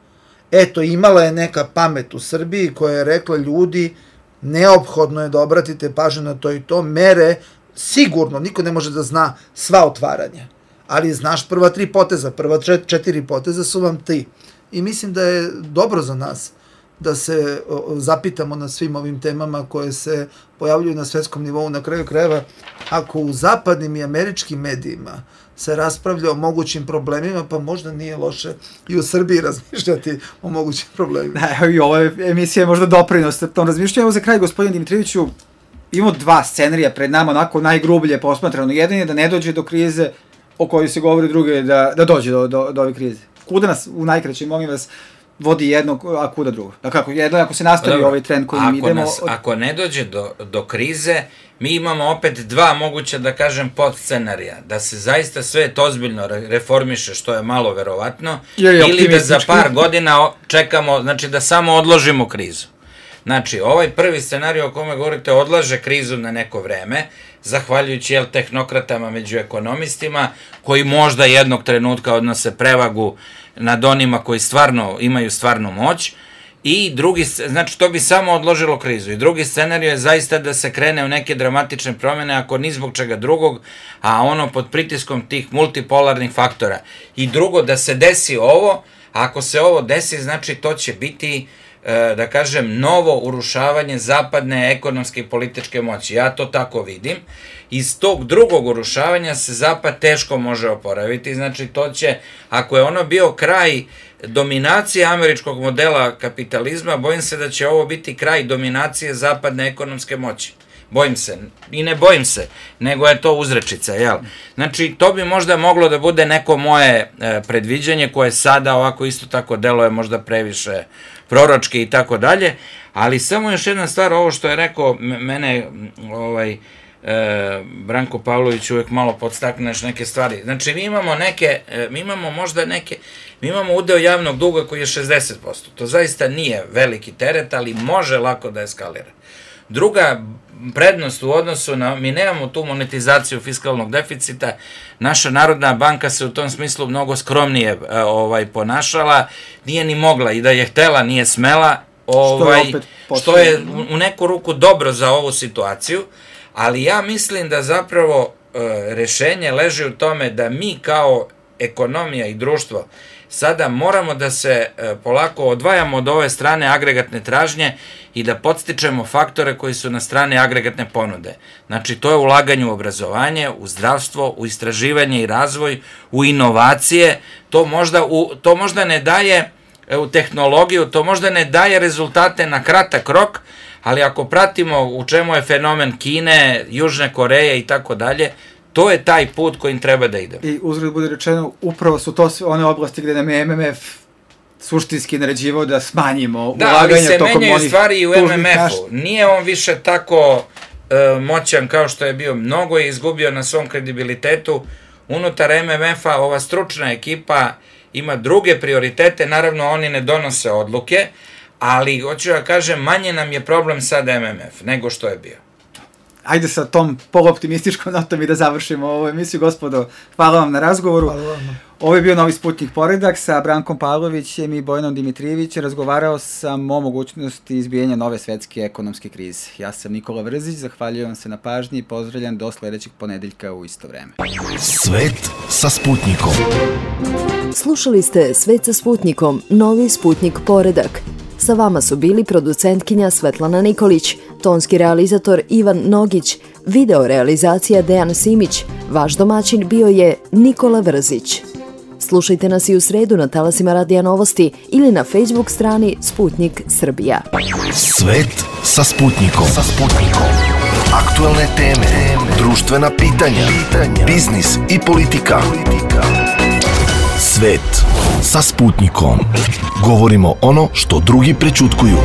Eto, imala je neka pamet u Srbiji koja je rekla ljudi, neophodno je da obratite pažnju na to i to, mere, sigurno, niko ne može da zna sva otvaranja, ali znaš prva tri poteza, prva četiri poteza su vam ti. I mislim da je dobro za nas da se zapitamo na svim ovim temama koje se pojavljuju na svetskom nivou. Na kraju krajeva, ako u zapadnim i američkim medijima se raspravlja o mogućim problemima, pa možda nije loše i u Srbiji razmišljati o mogućim problemima. Da, i ova emisija je možda doprinos tom razmišljanju. Evo za kraj, gospodin Dimitrijeviću, imamo dva scenarija pred nama, onako najgrublje posmatrano. Jedan je da ne dođe do krize o kojoj se govori, druge je da, da dođe do, do, do ove krize. Kuda nas, u najkraćem, molim vas, vodi jednog, a kuda drugo. Dakle, ako, jedno, ako se nastavi Dobro, ovaj trend kojim ako idemo... Nas, od... Ako ne dođe do, do krize, mi imamo opet dva moguća, da kažem, podscenarija. Da se zaista svet ozbiljno reformiše, što je malo verovatno, ili da za par godina čekamo, znači da samo odložimo krizu. Znači, ovaj prvi scenarij o kome govorite odlaže krizu na neko vreme, zahvaljujući jel, tehnokratama među ekonomistima, koji možda jednog trenutka odnose prevagu nad onima koji stvarno imaju stvarnu moć, i drugi, znači to bi samo odložilo krizu. I drugi scenarij je zaista da se krene u neke dramatične promjene, ako ni zbog čega drugog, a ono pod pritiskom tih multipolarnih faktora. I drugo, da se desi ovo, a ako se ovo desi, znači to će biti, da kažem, novo urušavanje zapadne ekonomske i političke moći. Ja to tako vidim. Iz tog drugog urušavanja se zapad teško može oporaviti. Znači, to će, ako je ono bio kraj dominacije američkog modela kapitalizma, bojim se da će ovo biti kraj dominacije zapadne ekonomske moći. Bojim se. I ne bojim se, nego je to uzrečica, jel? Znači, to bi možda moglo da bude neko moje e, predviđanje, koje sada ovako isto tako deluje možda previše proročke i tako dalje, ali samo još jedna stvar, ovo što je rekao mene, ovaj, e, Branko Pavlović uvek malo podstakneš neke stvari. Znači, mi imamo neke, e, mi imamo možda neke, mi imamo udeo javnog duga koji je šezdeset posto. To zaista nije veliki teret, ali može lako da eskalira. Druga prednost u odnosu na, mi nemamo tu monetizaciju fiskalnog deficita, naša Narodna banka se u tom smislu mnogo skromnije ovaj, ponašala, nije ni mogla, i da je htela, nije smela, ovaj, što je, što je u neku ruku dobro za ovu situaciju, ali ja mislim da zapravo e, rešenje leži u tome da mi kao ekonomija i društvo sada moramo da se e, polako odvajamo od ove strane agregatne tražnje i da podstičemo faktore koji su na strane agregatne ponude. Znači, to je ulaganje u obrazovanje, u zdravstvo, u istraživanje i razvoj, u inovacije. To možda, u, to možda ne daje e, u tehnologiju, to možda ne daje rezultate na kratak rok, ali ako pratimo u čemu je fenomen Kine, Južne Koreje i tako dalje, to je taj put kojim treba da ide. I uzgled bude rečeno, upravo su to sve one oblasti gde nam je M M F suštinski naređivao da smanjimo ulaganja tokom onih tužnih... Da, ali se menjaju stvari i u M M F-u. Nije on više tako e, moćan kao što je bio. Mnogo je izgubio na svom kredibilitetu. Unutar M M F-a ova stručna ekipa ima druge prioritete. Naravno, oni ne donose odluke, ali, hoću da kažem, manje nam je problem sad M M F nego što je bio. Ajde sa tom poluoptimističkom notom i da završimo ovu emisiju. Gospodo, hvala vam na razgovoru. Hvala vam. Ovo je bio Novi Sputnik Poredak sa Brankom Pavlovićem i Bojanom Dimitrijevićem. Razgovarao sam o mogućnosti izbijanja nove svetske ekonomske krize. Ja sam Nikola Vrzić, zahvaljujem se na pažnji i pozdravljam do sledećeg ponedeljka u isto vreme. Svet sa Sputnikom. Slušali ste Svet sa Sputnikom, Novi Sputnik Poredak. Sa vama su bili producentkinja Svetlana Nikolić, tonski realizator Ivan Nogić, video realizacija Dejan Simić, vaš domaćin bio je Nikola Vrzić. Slušajte nas i u sredu na talasima Radija Novosti ili na Facebook strani Sputnik Srbija. Svet sa Sputnikom. Sa Sputnikom. Aktuelne teme, društvena pitanja, biznis i politika. Svet sa Sputnikom. Govorimo ono što drugi prećutkuju.